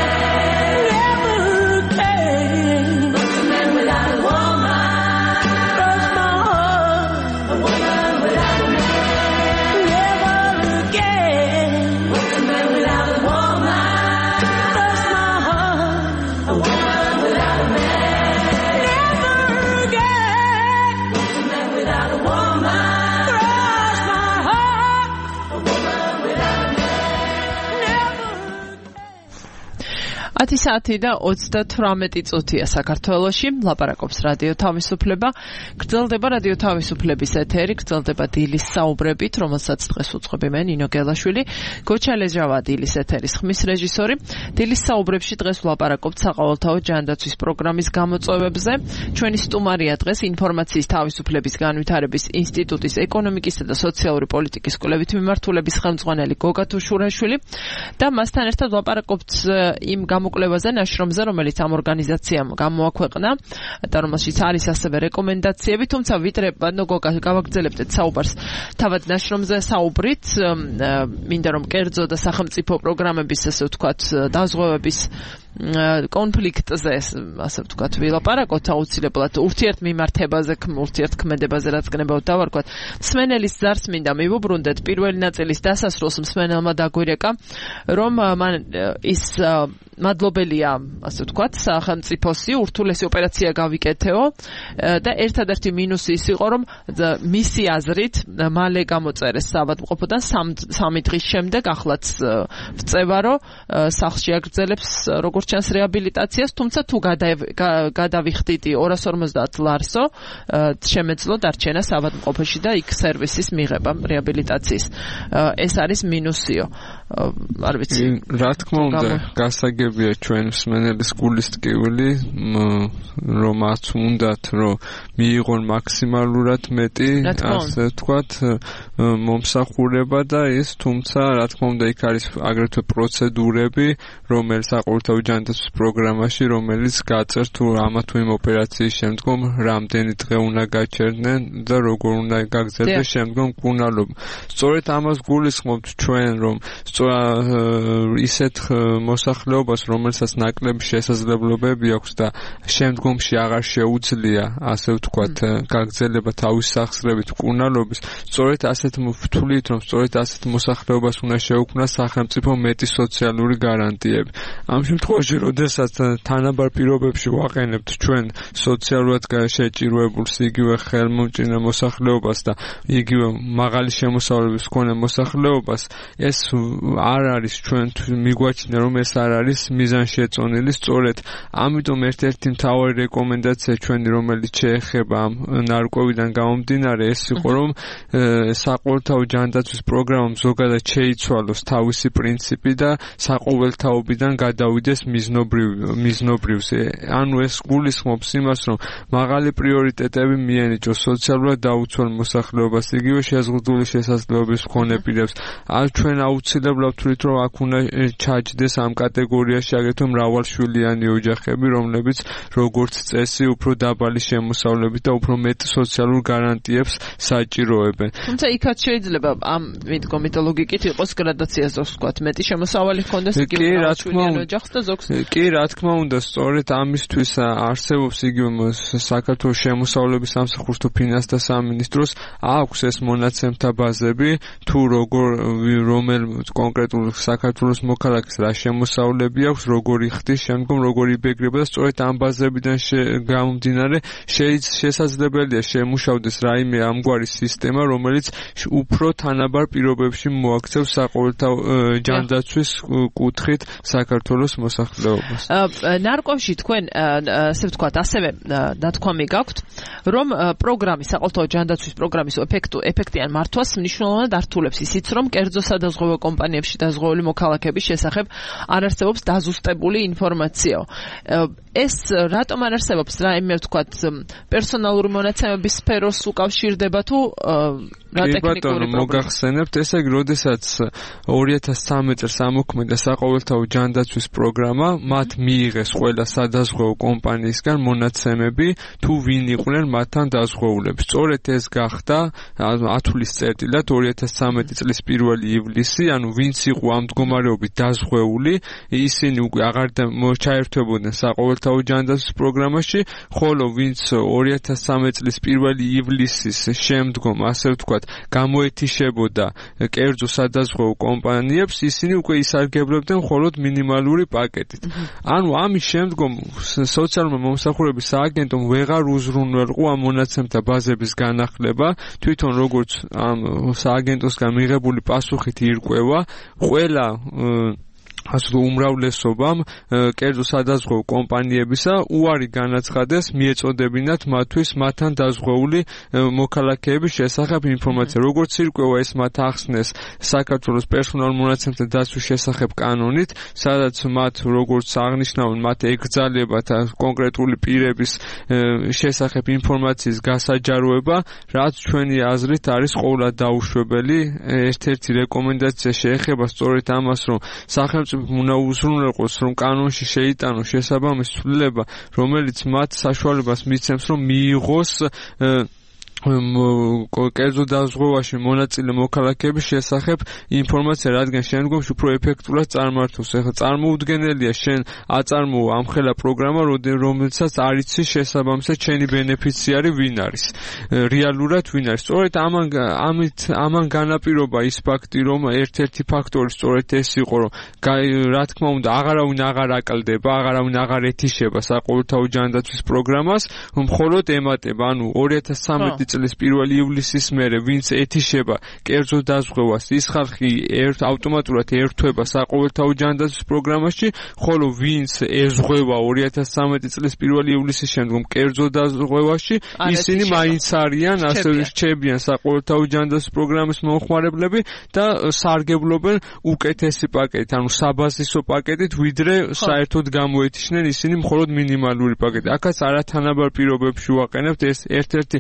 ათი საათი და ოცდათვრამეტი წუთია საქართველოში. ლაპარაკობს რადიო თავისუფლება. გრძელდება რადიო თავისუფლების ეთერი, გრძელდება დილის საუბრებით, რომელსაც დღეს უწყობი მე ნინო გელაშვილი, გოჩა ლეჟავა დილის ეთერის ხმის რეჟისორი. დილის საუბრებში დღეს ვლაპარაკობთ საყოველთაო ჯანდაცვის პროგრამის გამოწვევებზე. ჩვენი სტუმარია დღეს ინფორმაციის თავისუფლების განვითარების ინსტიტუტის ეკონომიკისა და სოციალური პოლიტიკის კვლევით მიმართულების ხელმძღვანელი გოგა თუშურაშვილი და მასთან ერთად ვლაპარაკობთ იმ გამოკვლევაზე ნაშრომზე, რომელიც ამ ორგანიზაციამ გამოაქვეყნა და რომელშიც არის ასევე რეკომენდაციები, თუმცა ვიდრე გოგა გავაგრძელებდეთ საუბარს თავად ნაშრომზე საუბრით, მინდა რომ კერძო და სახელმწიფო პროგრამების, ასე ვთქვათ, დაზღვევების კონფლიქტზე, ასე ვთქვათ, ვილაპარაკოთ აუცილებლად ურთიერთმიმართებაზე, ურთიერთქმედებაზე, რაც გნებავთ დავარქვათ. მსმენელის ზარს მინდა მივუბრუნდეთ. პირველი ნაწილის დასასრულს მსმენელმა დაგვირეკა, რომ მან ის მადლობელია, ასე ვთქვათ, სახელმწიფოსი, ურთულესი ოპერაცია გავიკეთეო და ერთადერთი მინუსი ის იყო, რომ მისი აზრით მალე გამოწერეს საავადმყოფოდან სამი დღის შემდეგ, ახლაც ვწევა, რომ სახლში აგრძელებს როგორც ჩანს რეაბილიტაციას, თუმცა თუ გადავიხდიდი ორას ორმოცდაათ ლარსო, შემეძლო დარჩენა საავადმყოფოში და იქ სერვისის მიღება რეაბილიტაციის. ეს არის მინუსიო. არ ვიცი. რა თქმა უნდა, გასაგებია ჩვენ მსმენელის გულის ტკივილი, რომ აც უნდათ, რომ მიიღონ მაქსიმალურად მეტი, ასე ვთქვათ, მომსახურება და ის, თუმცა რა თქმა უნდა, იქ არის აგრეთვე პროცედურები, რომელიც საყოველთაო ჯანდაცვის პროგრამაში, რომელიც გაწერს თუ ამა თუ იმ ოპერაციის შემდგომ რამდენი დღე უნდა გაჩერდნენ და როგორ უნდა გაგრძელდეს შემდგომ მკურნალობა. სწორედ ამას გულისხმობთ ჩვენ, რომ ისეთ მოსახლეობას, რომელსაც ნაკლები შესაძლებლობები აქვს და შემდგომში აღარ შეუძლია, ასე ვთქვათ, გაგრძელება თავის სახსრებით მკურნალობის, სწორედ ასეთ ვთვლით, რომ სწორედ ასეთ მოსახლეობას უნდა შეუქმნას სახელმწიფო მეტი სოციალური გარანტიები. ამ შემთხვევაში, როდესაც თანაბარ პირობებში ვაყენებთ ჩვენ სოციალურად შეჭირვებულს, იგივე ხელმომჭირნე მოსახლეობას და იგივე მაღალი შემოსავლების მქონე მოსახლეობას, ეს არ არის ჩვენ მიგვაჩნია, რომ ეს არ არის მიზანშეწონილი. სწორედ ამიტომ ერთ-ერთი მთავარი რეკომენდაცია ჩვენი, რომელიც შეეხება ამ ნარკვევიდან გამომდინარე, ეს იყო, რომ საყოველთაო ჯანდაცვის პროგრამამ ზოგადად შეიცვალოს თავისი პრინციპი და საყოველთაობიდან გადავიდეს მიზნობრივზე. ანუ ეს გულისხმობს იმას, რომ მაღალი პრიორიტეტები მიენიჭოს სოციალურად დაუცველ მოსახლეობას, იგივე შეზღუდული შესაძლებლობის მქონე პირებს. ან ჩვენ აუცილებლად ვთვლით, რომ აქ უნდა ჩაჯდეს ამ კატეგორიაში აგრეთვე მრავალშვილიანი ოჯახები, რომლებიც როგორც წესი უფრო დაბალი შემოსავლებით და უფრო მეტ სოციალურ გარანტიებს საჭიროებენ. თუმცა იქაც შეიძლება ამ მიდგომით ლოგიკით იყოს გრადაცია, ზოგს ვთქვათ, მეტი შემოსავალი ჰქონდეს იგივე მრავალშვილიან ოჯახს და ზოგს. კი, რა თქმა უნდა, სწორედ ამისთვის არსებობს იგივე საქართველოს შემოსავლების სამსახურს თუ ფინანსთა სამინისტროს აქვს ეს მონაცემთა ბაზები, თუ როგორ რომელ კონკრეტულ საქართველოს მოქალაქეს რა შემოსავლები აქვს, როგორი ხდის შემდგომ, როგორი იბეგრება და სწორედ ამ ბაზებიდან გამომდინარე შესაძლებელია შემუშავდეს რაიმე ამგვარი სისტემა, რომელიც უფრო თანაბარ პირობებში მოაქცევს საყოველთაო ჯანდაცვის კუთხით საქართველოს მოსახლეობას. ნარკვევში თქვენ, ასე ვთქვათ, ასევე დათქვამი გაქვთ, რომ პროგრამის, საყოველთაო ჯანდაცვის პროგრამის ეფექტიან მართვას მნიშვნელოვნად ართულებს ისიც, რომ კერძო სადაზღვევო კომპანიებში დაზღვეული მოქალაქების შესახებ არ არსებობს დაზუსტებული ინფორმაციაო. ეს რატომ არ არსებობს რაიმე ვთქვათ პერსონალური მონაცემების სფეროს უკავშირდება თუ რა ტექნიკური პრობლემა? მოგახსენებთ, ესე იგი, როდესაც ორი ათას ცხრამეტ წელს ამოქმედა საყოველთაო ჯანდაცვის პროგრამა, მათ მიიღეს ყველა სადაზღვეო კომპანიისგან მონაცემები თუ ვინ იყვნენ მათთან დაზღვეულები. სწორედ ეს გახდა ათვლის წერტილად ორი ათას ცხრამეტი წლის პირველი ივლისი, ანუ ვინც იყო ამ მდგომარეობით დაზღვეული, ისინი უკვე აღარ ჩაერთვებოდნენ საყოველთაო ჯანდაცვის პროგრამაში, ხოლო ვინც ორი ათას ცხრამეტ წლის პირველი ივლისის შემდგომ, ასე ვთქვათ, გამოეთიშებოდა კერძო სადაზღვეო კომპანიებს, ისინი უკვე ისარგებლებდნენ მხოლოდ მინიმალური პაკეტით. ანუ ამის შემდგომ სოციალურმა მომსახურების სააგენტომ ვეღარ უზრუნველყო ამ მონაცემთა ბაზების განახლება, თვითონ როგორც ამ სააგენტოსგან მიღებული პასუხით ირკვევა, ყველა ასე უმრავლესობამ კერძო სადაზღვეო კომპანიებისა უარი განაცხადეს მიეწოდებინათ მათთვის მათთან დაზღვეული მოქალაქეების შესახებ ინფორმაცია. როგორც ირკვევა, ეს მათ ახსნეს საქართველოს პერსონალურ მონაცემთა დაცვის შესახებ კანონით, სადაც მათ როგორც აღნიშნავენ, მათ ეკრძალებათ კონკრეტული პირების შესახებ ინფორმაციის გასაჯაროება, რაც ჩვენი აზრით არის ყოვლად დაუშვებელი. ერთ-ერთი რეკომენდაცია შეეხება სწორედ ამას, რომ სახელმწიფო უნდა უზრუნველყოს, რომ კანონში შეიტანოს შესაბამისი ცვლილება, რომელიც მათ საშუალებას მისცემს, რომ მიიღოს კერძო დაზღვევაში მონაწილე მოქალაქეების შესახებ ინფორმაცია, რადგან შემდგომში უფრო ეფექტურად წარმართოს. ეხლა წარმოუდგენელია შენ აწარმოო ამხელა პროგრამა, რომელსაც არ იცის შესაბამისად შენი ბენეფიციარი ვინ არის, რეალურად ვინ არის. სწორედ ამან ამით ამან განაპირობა ის ფაქტი, რომ ერთ-ერთი ფაქტორი სწორედ ეს იყო, რომ რა თქმა უნდა აღარავინ აღარ აკლდება, აღარავინ აღარ ეთიშება საყოველთაო ჯანდაცვის პროგრამას, მხოლოდ ემატება, ანუ ორი ათას ცხრამეტი წლის პირველი ივლისის მერე ვინც ეთიშება კერძო დაზღვევას, ის ხალხი ერთ ავტომატურად ერთვება საყოველთაო ჯანდაცვის პროგრამაში, ხოლო ვინც ეზღვევა ორი ათას ცხრამეტი წლის პირველი ივლისის შემდგომ კერძო დაზღვევაში, ისინი მაინც არიან, ასე რჩებიან საყოველთაო ჯანდაცვის პროგრამის მომხმარებლები და სარგებლობენ უკეთესი პაკეტით, ანუ საბაზისო პაკეტით, ვიდრე საერთოდ გამოეთიშნენ ისინი მხოლოდ მინიმალური პაკეტი. აქაც არათანაბარ პირობებში ვაყენებთ, ეს ერთ-ერთი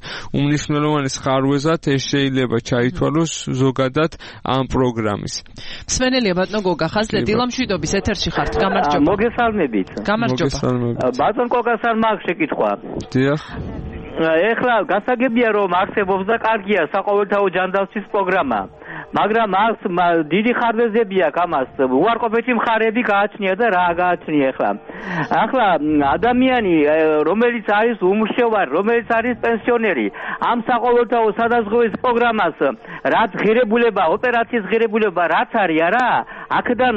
უმნიშვნელოვანეს ხარვეზად ეს შეიძლება ჩაითვალოს ზოგადად ამ პროგრამის. მსმენელია ბატონო გოგა ხაზლე, დილამშვიდობის ეთერში ხართ, გამარჯობა. მოგესალმებით. გამარჯობა. ბატონ გოგასთან მაქვს შეკითხვა. დიახ. ეხლა გასაგებია რომ არსებობს და კარგია საყოველთაო ჯანდაცვის პროგრამა, მაგრამ მას დიდი ხარვეზები აქვს ამას, უარყოფითი მხარეები გააჩნია და რა გააჩნია ახლა. ახლა ადამიანი რომელიც არის უმრშევარი, რომელიც არის პენსიონერი, ამ საყოველთაო სადაზღვევის პროგრამას რაც ღირებულება, ოპერაციის ღირებულება რაც არის არა, აქედან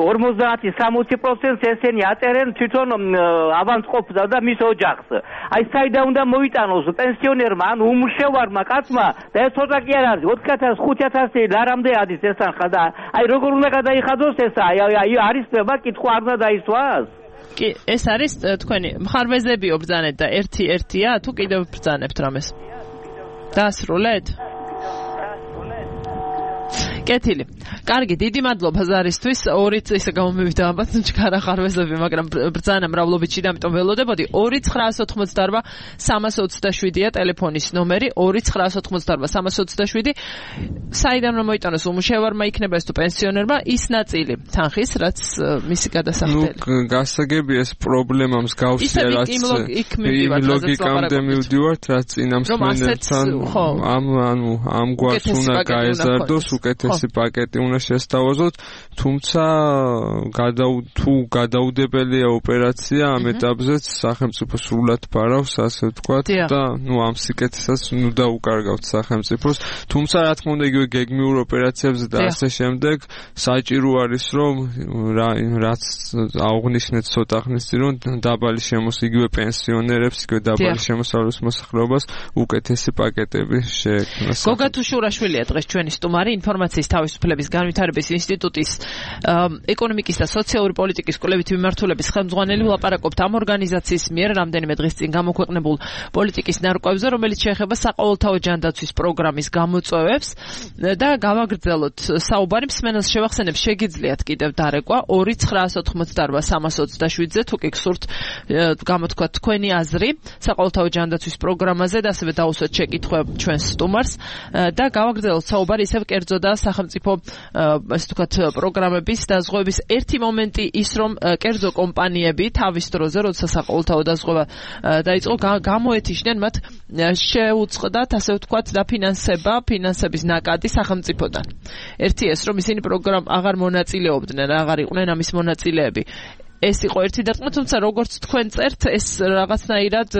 ორმოცდაათი სამოცი პროცენტს ესენი აწერენ თვითონ ავანტყოფს და მის ოჯახს. აი საიდან უნდა მოიტანოს პენსიონერმა, ან უმრშევარმა კაცმა და ეს ცოტა კი არ არის, ოთხი ათას ხუთი ათასი ლარამდე ადის ეს ახლა და აი როგორ უნდა გადაიხადოს ეს, აი არის ნება კითხვა არ უნდა დაისვას? კი, ეს არის თქვენი მხარვეზებიო ბრძანეთ და ერთი-ერთია თუ კიდევ ბრძანებთ რამეს? დაასრულეთ? კეთილი. კარგი, დიდი მადლობა ზარისთვის. ორიც ისე გამომივიდა ალბათ ჩქარა ხარვეზები, მაგრამ ბრძანა მრავლობითში და ამიტომ ველოდებოდი. ორი ცხრაას ოთხმოცდაარბა სამას ოცდაშვიდია ტელეფონის ნომერი, ორი ცხრაას ოთხმოცდაარბა სამას ოცდაშვიდი. საიდან რომ მოიტანოს უმუშევარმა იქნება ეს თუ პენსიონერმა, ის ნაწილი თანხის, რაც მისი გადასახდელი. ნუ გასაგებია ეს პრობლემა მსგავსია, რაც იმ ლოგიკამდე მივდივართ, რაც წინა მსმენელთან ამ ანუ ამ გვარს უნდა გაეზარდოს უკეთესი პაკეტი უნდა შესთავაზოთ, თუმცა თუ გადაუდებელია ოპერაცია ამ ეტაპზეც სახელმწიფო სრულად ფარავს, ასე ვთქვათ და ნუ ამ სიკეთესაც ნუ დაუკარგავთ სახელმწიფოს, თუმცა რა თქმა უნდა იგივე გეგმიურ ოპერაციებზე და ასე შემდეგ საჭირო არის რომ რაც აღნიშნეთ ცოტა ხნის წინ, რომ დაბალი შემოს იგივე პენსიონერებს, იგივე დაბალი შემოსავლის მოსახლეობას უკეთესი პაკეტები შეექმნას. გოგა თუშურაშვილია დღეს ჩვენი სტუმარი, ინფორმაციის კავშირის თავისუფლების განვითარების ინსტიტუტის ეკონომიკის და სოციალური პოლიტიკის კვლევითი მიმართულების ხელმძღვანელი ვლაპარაკობთ ამ ორგანიზაციის მიერ რამდენიმე დღის წინ გამოქვეყნებულ პოლიტიკის ნარკვევზე, რომელიც შეეხება საყოველთაო ჯანდაცვის პროგრამის გამოწვევებს და გავაგრძელოთ საუბარი. მსმენელს შევახსენებ, შეგიძლიათ კიდევ დარეკვა ორი ცხრაასი ოთხმოცდაარბა სამას ოცდაშვიდზე, თუ კი გსურთ გამოთქვათ თქვენი აზრი საყოველთაო ჯანდაცვის პროგრამაზე და ასევე დაუსვათ შეკითხვა ჩვენს სტუმარს და გავაგრძელოთ საუბარი ისევ კერძო და სახელმწიფო ასე ვთქვათ პროგრამების დაზღვევების ერთი მომენტი ის, რომ კერძო კომპანიები თავის დროზე, როდესაც საყოველთაო დაზღვევა დაიწყო, გამოეთიშნენ მათ შეუწყდათ ასე ვთქვათ დაფინანსება, ფინანსების ნაკადი სახელმწიფოდან. ერთი ეს, რომ ისინი პროგრამ აღარ მონაწილეობდნენ, აღარ იყვნენ ამის მონაწილეები. ეს იყო ერთი დარტყმა, თუმცა როგორც თქვენ წერთ, ეს რაღაცნაირად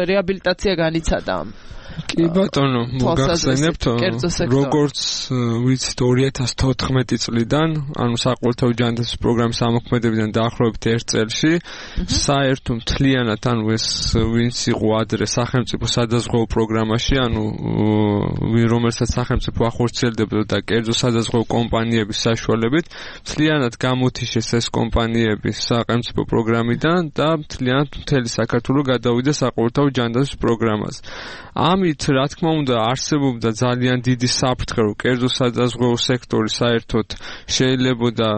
რეაბილიტაცია განიცადა. კი ბატონო, მოგახსენებთ, როგორც ვიცით ორი ათას თოთხმეტი წლიდან, ანუ საყოველთაო ჯანდაცვის პროგრამის ამოქმედებიდან დაახლოებით ერთ წელში, საერთო მთლიანად, ანუ ეს ვინც იყო ადრე სახელმწიფო სადაზღვევო პროგრამაში, ანუ რომელსაც სახელმწიფო ახორციელებდა და კერძო სადაზღვევო კომპანიების საშუალებით, მთლიანად გამოთიშეს ეს კომპანიები სახელმწიფო პროგრამიდან და მთლიანად მთელი საქართველო გადავიდა საყოველთაო ჯანდაცვის პროგრამაზე. ამით, რა თქმა უნდა, არსებობდა ძალიან დიდი საფრთხე, რომ კერძო სადაზღვევო სექტორი საერთოდ შეიძლებოდა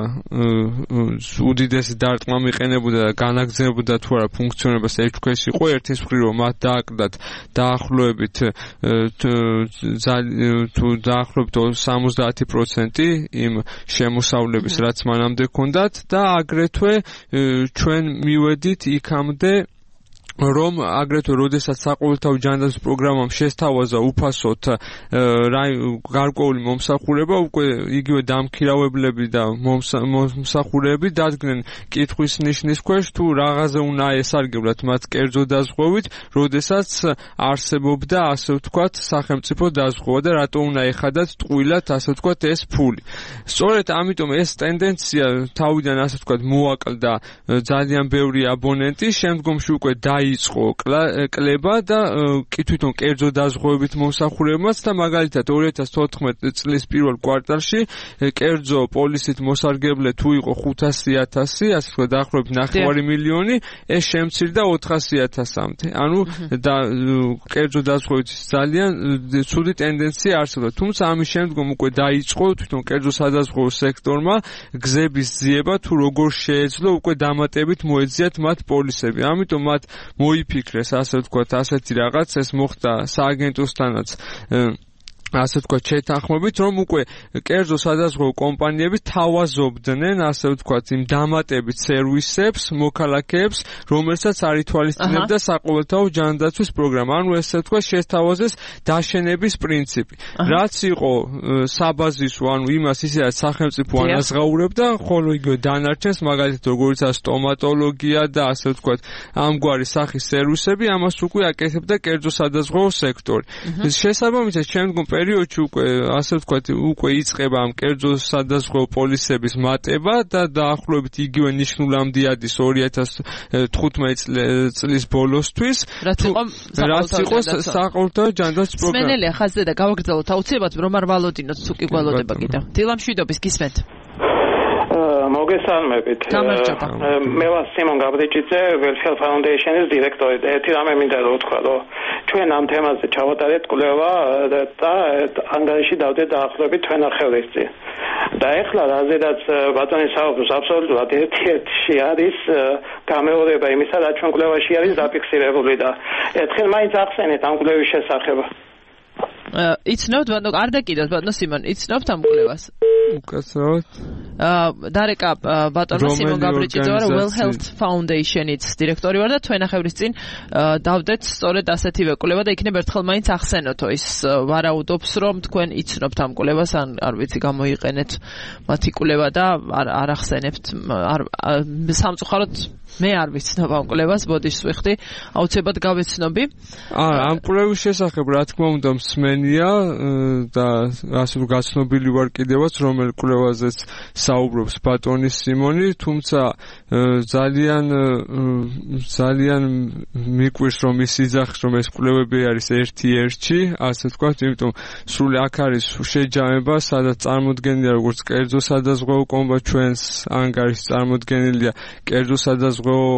უდიდესი დარტყმა მიყენებოდა და განაგრძენებოდა თუ არა ფუნქციონირებას ეჭქვეშ იყო. ერთის მხრივ, რომ მათ დააკლდათ დაახლოებით თუ დაახლოებით სამოცდაათი პროცენტი იმ შემოსავლების, რაც მანამდე ჰქონდათ და აგრეთვე ჩვენ მივედით იქამდე, რომ აგრეთვე როდესაც საყოველთაო ჯანდაცვის პროგრამამ შესთავაზა უფასოდ გარკვეული მომსახურება, უკვე იგივე დამქირავებლები და მომსახურეები დადგნენ კითხვის ნიშნის ქვეშ, თუ რაღაცა უნდა ესარგებლათ მათ კერძო დაზღვევით, როდესაც არსებობდა ასე ვთქვათ სახელმწიფო დაზღვევა და რატო უნდა ეხადათ ტყუილად ასე ვთქვათ ეს ფული. სწორედ ამიტომ ეს ტენდენცია თავიდან ასე ვთქვათ მოაკლდა ძალიან ბევრი აბონენტი, შემდგომში უკვე დაი იწყო კლება და კი თვითონ კერძო დაზღვევებით მომსახურებმაც და მაგალითად ორი ათას თოთხმეტი წლის პირველ კვარტალში კერძო პოლისით მოსარგებლე თუ იყო ხუთასი ათასი, ასე ვთქვათ დაახლოებით ნახევარი მილიონი, ეს შემცირდა ოთხასი ათასამდე. ანუ და კერძო დაზღვევით ძალიან ცუდი ტენდენცია არსებობდა. თუმცა ამის შემდგომ უკვე დაიწყო თვითონ კერძო სადაზღვევო სექტორმა გზების ძიება, თუ როგორ შეეძლო უკვე დამატებით მოეძიათ მათ პოლისები. ამიტომ მათ მოიფიქრეს, ასე ვთქვათ, ასეთი რაღაც, ეს მოხდა სააგენტოსთანაც ასე ვთქვათ შეთანხმებით, რომ უკვე კერძო სადაზღვევო კომპანიები თავაზობდნენ, ასე ვთქვათ, იმ დამატებით სერვისებს, მოქალაქეებს, რომელსაც არ ითვალისწინებდა საყოველთაო ჯანდაცვის პროგრამა. ანუ ესე ვთქვათ, შესთავაზეს დაშენების პრინციპი. რაც იყო საბაზისო, ანუ იმას ისედაც სახელმწიფო ანაზღაურებდა, ხოლო იგივე დანარჩენს, მაგალითად, როგორიცაა სტომატოლოგია და ასე ვთქვათ, ამგვარი სახის სერვისები, ამას უკვე აკეთებდა კერძო სადაზღვევო სექტორი. შესაბამისად, შემდგომ პერიოდში უკვე ასე ვთქვათ, უკვე იწყება ამ კერძო სადაზღვევო პოლისების მატება და დაახლოებით იგივე ნიშნულამდე ადის ორი ათას თხუთმეტი წლის ბოლოსთვის, რაც იყო საყოველთაო ჯანდაცვის პროგრამა. სმენელია ხაზზე და გავაგრძელოთ აუცილებლად, რომ არ ვალოდინოთ, თუ კი გველოდება კიდევ. დილა მშვიდობის, გისმენთ. მოგესალმებით. მე ვარ სიმონ გაბრიჭიძე, Welfare Foundation-ის დირექტორი. ერთი რამე მინდა რომ ვთქვა, რომ ჩვენ ამ თემაზე ჩავატარეთ კვლევა და ანგარიში დავდეთ დაახლოებით თვენახევრის წინ. და ეხლა რაზედაც ბატონი საუბრობს, აბსოლუტურად ერთ-ერთი არის გამეორება იმისა, რაც ჩვენ კვლევაში არის დაფიქსირებული და ერთხელ მაინც ახსენეთ ამ კვლევის შესახებ. იცნობთ, ბატონო, არ დაკიდოთ, ბატონო სიმონ, იცნობთ ამ კვლევას? უკაცრავად. დარეკა ბატონო სიმონ გაბრიჭიძე ვარ, Well Health Foundation-ის დირექტორი ვარ და თვენახევრის წინ დავდეთ სწორედ ასეთივე კვლევა და იქნებ ერთხელ მაინც ახსენოთო, ის ვარაუდობს, რომ თქვენ იცნობთ ამ კვლევას, ან არ ვიცი გამოიყენეთ მათი კვლევა და არ ახსენებთ. სამწუხაროდ მე არ ვიცნობ ამ კვლევას, ბოდიშს ვიხდი, აუცილებლად გავეცნობი. აა, ამ კვლევის შესახებ რა თქმა უნდა მსმენია და ასე რომ გაცნობილი ვარ კიდევაც, რომ რომელ კვლევაზეც საუბრობს ბატონი სიმონი, თუმცა ძალიან ძალიან მიკვირს რომ ის იძახს რომ ეს კვლევები არის ერთი ერთში, ასე ვთქვათ, იმიტომ სრული აქ არის შეჯამება, სადაც წარმოდგენილია როგორც კერძო სადაზღვეო კომპანია ჩვენს ანგარიშს წარმოდგენილია კერძო სადაზღვეო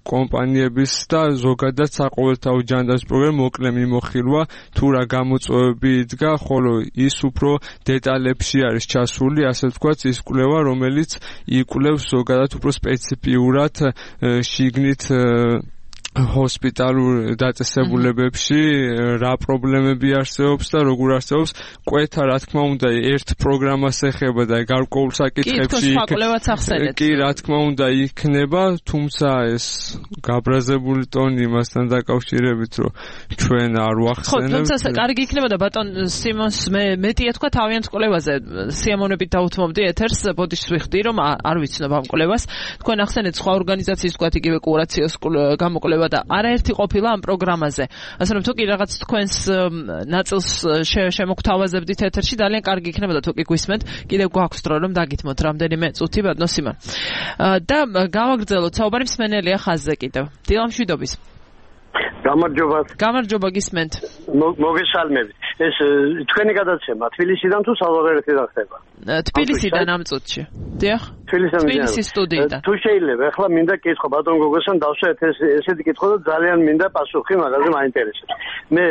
კომპანიების და ზოგადად საყოველთაო ჯანდაცვის პროგრამა მოკლე მიმოხილვა თუ რა გამოწვევები იდგა, ხოლო ის უფრო დეტალებში არის ჩასული, ასე ვთქვათ, ის კვლევა, რომელიც იკვლევს ზოგადად უფრო სპეციფიურად შიგნით ჰოსპიტალურ დაწესებულებებში რა პრობლემები არსებობს და როგორ არსებობს კვეთა, რა თქმა უნდა, ერთ პროგრამას ეხება და გარკვეულ საკითხებში კი, რა თქმა უნდა, იქნება, თუმცა ეს გაბრაზებული ტონი იმასთან დაკავშირებით, რომ ჩვენ არ ვახსენებთ. ხო, თუმცა კარგი იქნებოდა ბატონ სიმონს მე მეტია თქვა თავიანთ კვლევაზე სიამოვნებით დაუთმობდი ეთერს, ბოდიშს ვიხდი, რომ არ ვიცნობ ამ კვლევას. თქვენ ახსენეთ სხვა ორგანიზაციის თქვა იგივე კურაციოს გამოკვლევა და არაერთი ყოფილა ამ პროგრამაზე. ასე რომ თუ კი რაღაც თქვენს ნაწილს შემოგთავაზებდით ეთერში, ძალიან კარგი იქნებოდა თუ კი გვისმენთ. კიდევ გვაქვს დრო რომ დაგითმოთ რამდენიმე წუთი ბატონო სიმონ. და გავაგრძელოთ საუბარი მსმენელია ხაზზე კიდევ. დილამშვიდობის. გამარჯობა. გამარჯობა გისმენთ. მოგესალმებით. ეს თქვენი გადაცემა თბილისიდან თუ საზღვარგარეთიდან ხდება? თბილისიდან ამ წუთში. დიახ. თბილისის სტუდიიდან. თუ შეიძლება, ახლა მინდა კითხო ბატონ გოგოსთან დავსვათ ეს ესეთი კითხვა და ძალიან მინდა პასუხი მაგაზე მაინტერესებს. მე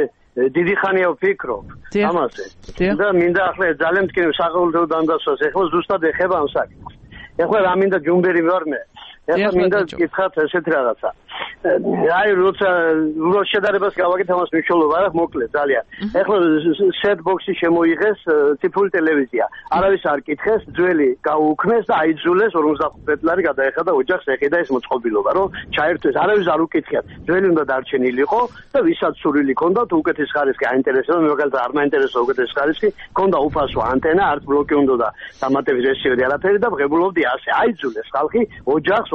დიდი ხანია ვფიქრობ ამაზე. და მინდა ახლა ძალიან მტკივნე საყოველთაო დანდასვას, ახლა ზუსტად ეხება ამ საკითხს. ახლა რა მინდა ჯუმბერი ვარ მე. ახლა მინდა გითხრათ ესეთ რაღაცა. აი როცა რო შედარებას გავაკეთე ამას მნიშვნელობა აქვს მოკლედ ძალიან. ახლა set box-ი შემოიღეს ციფრული ტელევიზია. არავის არ კითხეს, ძველი გაუქმეს და აიძულეს ორმოცდახუთი წლარი გადაეხადა ოჯახს, ეხიდა ეს მოწყობილობა, რომ ჩაერთვეს. არავის არ უკითხიათ. ძველი უნდა დარჩენილიყო და ვისაც სურვილი ჰქონდა თუ უკეთის ხარისხი აინტერესებდა, მე მაგალითად არ მაინტერესებდა უკეთის ხარისხი, ჰქონდა უფასო ანტენა, არც ბლოკი უნდა და დამატების რესივერი არაფერი და ღებულობდი ასე. აიძულეს ხალხი ოჯახს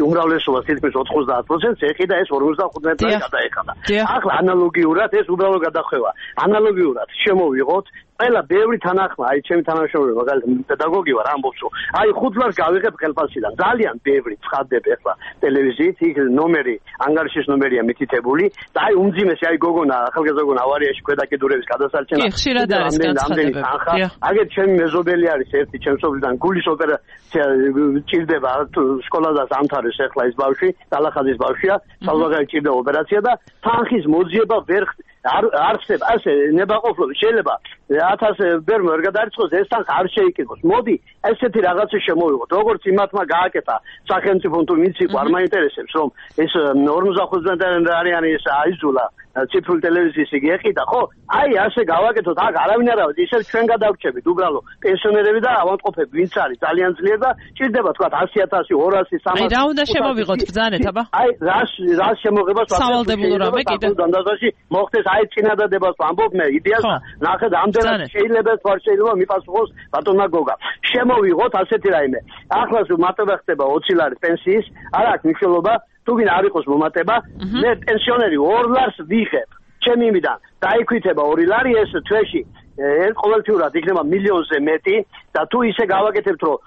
უმრავლესობას თითქმის ოთხმოცდაათ პროცენტს ეხიდა ეს ორმოცდახუთი წელი გადაეხადა. ახლა ანალოგიურად ეს უბრალოდ გადახვევა. ანალოგიურად შემოვიღოთ ყველა ბევრი თანახმა, აი ჩემი თანამშრომელი მაგალითად პედაგოგი ვარ, ამბობს რომ აი ხუთლას გავიღებ ხელფასიდან. ძალიან ბევრი ცხადებ ახლა ტელევიზიით, იქ ნომერი, ანგარიშის ნომერია მითითებული და აი უმძიმესი აი გოგონა, ახალგაზრდა გოგონა ავარიაში ქვედაკიდურების გადასარჩენა. კი, ხშირად არის განცხადებები. აგერ ჩემი მეზობელი არის ერთი ჩემს სოფლიდან გულის ოპერაცია ჭირდება, სკოლადას ამთავრებს ახლა ეს ბავშვი, დალახაზის ბავშვია, საზღვარგარეთ ჭირდება ოპერაცია და თანხის მოძიება ვერ არ არსებ ასე ნებაყოფლობის შეიძლება ათას ბერმო ვერ გადაარიცხოს ეს თანხა არ შეიკითხოს. მოდი ესეთი რაღაცა შემოვიღოთ. როგორც იმათმა გააკეთა სახელმწიფომ თუ ვინც იყო არ მაინტერესებს რომ ეს ორმოცდახუთი არიანი ეს აიძულა ციფრული ტელევიზიის იგი ეყიდა, ხო? აი ასე გავაკეთოთ, აქ არავინ არ ავიდეს, ისევ ჩვენ გადავრჩებით უბრალოდ პენსიონერები და ავადმყოფები, ვინც არის ძალიან ძლიერ და ჭირდება თქვა ასი ათასი, ორასი, სამასი. აი რა უნდა შემოვიღოთ ბრძანეთ, აბა? აი რას რას შემოღებას სავალდებულო რამე კიდე დანდაზაში მოხდეს, აი წინადადებას ვამბობ მე იდეას ნახეთ ამდენად შეიძლება თვარ შეიძლება მიპასუხოს ბატონმა გოგა. შემოვიღოთ ასეთი რაიმე. ახლა მატება ხდება ოცი ლარის პენსიის, არ აქვს მნიშვნელობა თუ ვინ არ იყოს მომატება, მე პენსიონერი ორ ლარს ვიღებ. ჩემი იმიდან დაიქვითება ორი ლარი ეს თვეში ყოველთვიურად იქნება მილიონზე მეტი და თუ ისე გავაკეთებთ რომ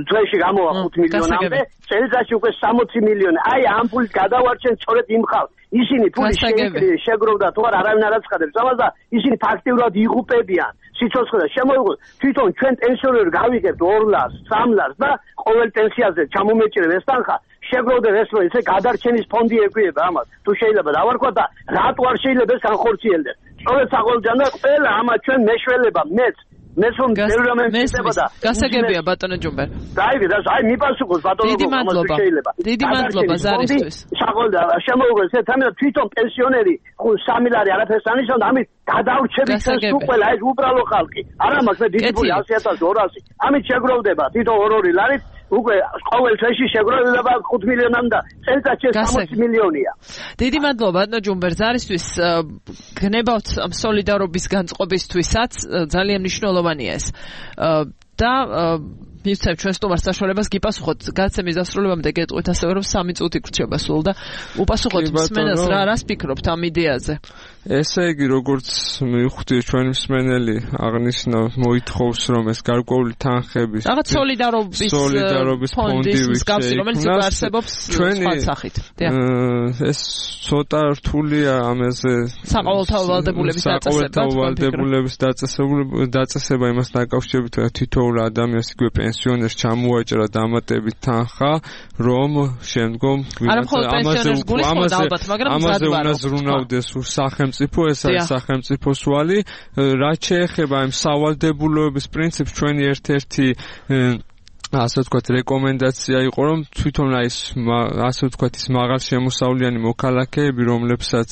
თვეში გამოვა ხუთი მილიონამდე, წელიწადში უკვე სამოცი მილიონი. აი ამ ფულით გადავარჩენ სწორედ იმ ხალხს. ისინი ფული შეგროვდა თუ არ არავინ არ აცხადებს ამას და ისინი ფაქტიურად იღუპებიან სიცოცხლე და შემოიღოთ თვითონ ჩვენ პენსიონერები გავიგებთ ორ ლარს, სამ ლარს და ყოველ პენსიაზე ჩამომეჭრებ ეს თანხა შეგროვდნენ ეს რომ ესე გადარჩენის ფონდი ეკვიება ამას. თუ შეიძლება დავარქვა და რატო არ შეიძლება ეს განხორციელდეს. სწორედ საყოველთაო და ყველა ამა ჩვენ მეშველება მეც მეც რომ დერამემწება და გასაგებია ბატონო ჯუმბერ. დაიგე და აი მიპასუხოს ბატონო გოგო ამას შეიძლება. დიდი მადლობა ზარისთვის. საყოველთაო შემოიღოს ეს თამი და თვითონ პენსიონერი სამი ლარი არაფერს ანიშნავდა, ამით გადავრჩებით ეს უყველა ეს უბრალო ხალხი. არა მაქვს მე დიდი ფული ასი ათასი ორასი. ამით შეგროვდება თვითონ ორ-ორი ლარით უკვე ყოველ თვეში შეგროვდება ხუთი მილიონამდე და წელიწადში სამოცი მილიონია. დიდი მადლობა ბატონო ჯუმბერ ზარისთვის. გნებავთ სოლიდარობის განწყობისთვისაც ძალიან მნიშვნელოვანია ეს. და მივცემ ჩვენ სტუმარს საშუალებას გიპასუხოთ გადაცემის დასრულებამდე გეტყვით ასევე რომ სამი წუთი გრჩება სულ და უპასუხოთ მსმენელს რა რას ფიქრობთ ამ იდეაზე. ესე იგი, როგორც მივხვდი ჩვენი მსმენელი აღნიშნა, მოითხოვს რომ ეს გარკვეული თანხების რაღაც სოლიდარობის სოლიდარობის ფონდი ვიქცე, რომელიც არსებობს სხვა სახით. ეს ცოტა რთულია ამაზე საყოველთაო ვალდებულების დაწესება. საყოველთაო ვალდებულების დაწესება იმას დაკავშირებით, რომ თითოეულ ადამიანს იგივე პენსიონერს ჩამოაჭრა დამატებით თანხა, რომ შემდგომ ამაზე ამაზე უნდა ზრუნავდეს სახელმწიფო, ეს არის სახელმწიფოს ვალი, რაც შეეხება იმ სავალდებულოების პრინციპს, ჩვენი ერთ-ერთი ასე ვთქვათ, რეკომენდაცია იყო, რომ თვითონ აი ეს ასე ვთქვათ, ის მაღალ შემოსავლიანი მოქალაქეები, რომლებსაც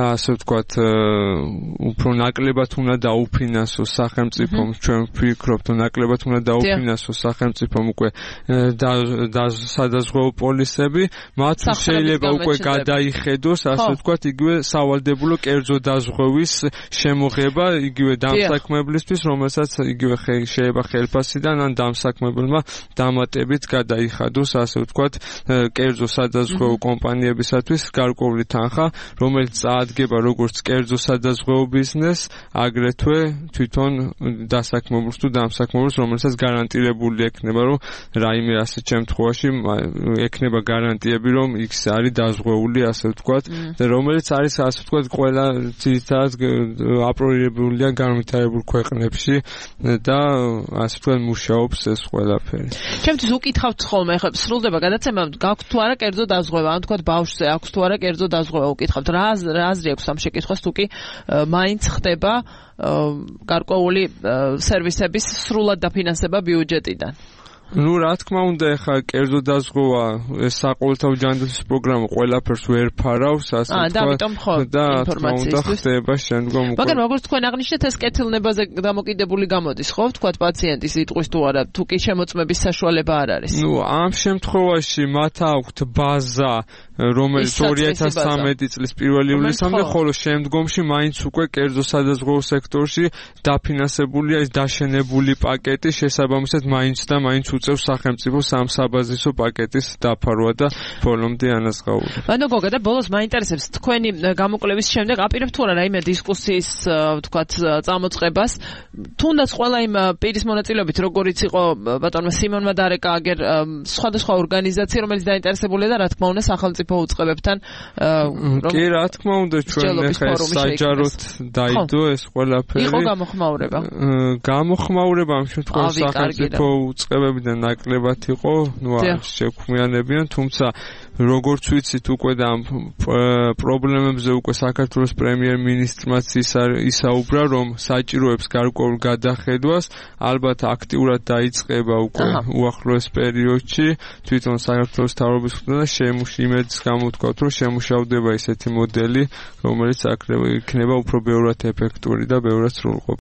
ასე ვთქვათ, უფრო ნაკლებად უნდა დაუფინანსოს სახელმწიფომ, ჩვენ ვფიქრობთ, რომ ნაკლებად უნდა დაუფინანსოს სახელმწიფომ უკვე სადაზღვეო პოლისები, მათ შეიძლება უკვე გადაიხედოს, ასე ვთქვათ, იგივე სავალდებულო კერძო დაზღვევის შემოღება, იგივე დამსაქმებლისთვის, რომელსაც იგივე შეიძლება ხელფასიდან ან დამსაქმებელმა დამატებით გადაიხადოს, ასე ვთქვათ, კერძო სადაზღვეო კომპანიებისათვის გარკვეული თანხა, რომელიც წაადგება როგორც კერძო სადაზღვეო ბიზნესს, აგრეთვე თვითონ დასაქმებულს თუ დამსაქმებულს, რომელსაც გარანტირებული ექნება, რომ რაიმე ასეთ შემთხვევაში ექნება გარანტიები, რომ იქ არის დაზღვეული, ასე ვთქვათ, რომელიც არის, ასე ვთქვათ, ყველა ძირითადად აპროირებულია განვითარებულ ქვეყნებში და ასე ვთქვათ, მუშაობს ეს ყველაფერი. ჩემთვის უკითხავთ ხოლმე, ხა სრულდება გადაცემა, გაქვთ თუ არა კერძო დაზღვევა, ან თქვათ ბავშვზე აქვს თუ არა კერძო დაზღვევა, უკითხავთ. რა რა აზრი აქვს ამ შეკითხვას, თუ კი მაინც ხდება გარკვეული სერვისების სრულად დაფინანსება ბიუჯეტიდან? ნუ რა თქმა უნდა, ეხა კერძო დაზღვევა ეს საყოველთაო ჯანდაცვის პროგრამა ყველაფერს ვერ ფარავს, ასე ვთქვათ. და თქმა უნდა ხდება შემდგომ უკვე. მაგრამ როგორც თქვენ აღნიშნეთ, ეს კეთილნებაზე დამოკიდებული გამოდის, ხო? ვთქვათ პაციენტის სიტყვის თუ არა, თუ კი შემოწმების საშუალება არ არის. ნუ ამ შემთხვევაში მათ აქვთ ბაზა, რომელიც ორი ათას ცხრამეტი წლის პირველი ივლისამდე, ხოლო შემდგომში მაინც უკვე კერძო სადაზღვეო სექტორში დაფინანსებულია ეს დაშენებული პაკეტი, შესაბამისად მაინც და მაინც უწევს სახელმწიფოს ამ საბაზისო პაკეტის დაფარვა და ბოლომდე ანაზღაურება. ანუ გოგა და ბოლოს მაინტერესებს თქვენი გამოკვლევის შემდეგ აპირებთ თუ არა რაიმე დისკუსიის, ვთქვათ, წამოწყებას, თუნდაც ყველა იმ პირის მონაწილეობით, როგორიც იყო ბატონმა სიმონმა დარეკა, აგერ სხვადასხვა ორგანიზაცია, რომელიც დაინტერესებულია და რა თქმა უნდა სახელმწიფო უწყებებთან. კი, რა თქმა უნდა, ჩვენ ახლა საჯაროდ დაიდო ეს ყველაფერი. იყო გამოხმაურება. გამოხმაურება ამ შემთხვევაში სახელმწიფო უწყებებიდან ნაკლებად იყო, ნუ არ შექმნიანებიან, თუმცა როგორც ვიცით, უკვე და ამ პრობლემებზე უკვე საქართველოს პრემიერ-მინისტრმაც ისაუბრა, რომ საჭიროებს გარკვეულ გადახედვას, ალბათ აქტიურად დაიწყება უკვე უახლოეს პერიოდში, თვითონ საქართველოს მთავრობის მხრიდან და შემუშიმედს გამოთქვათ, რომ შემუშავდება ისეთი მოდელი, რომელიც იქნება უფრო ბევრად ეფექტური და ბევრად სრულყოფილი.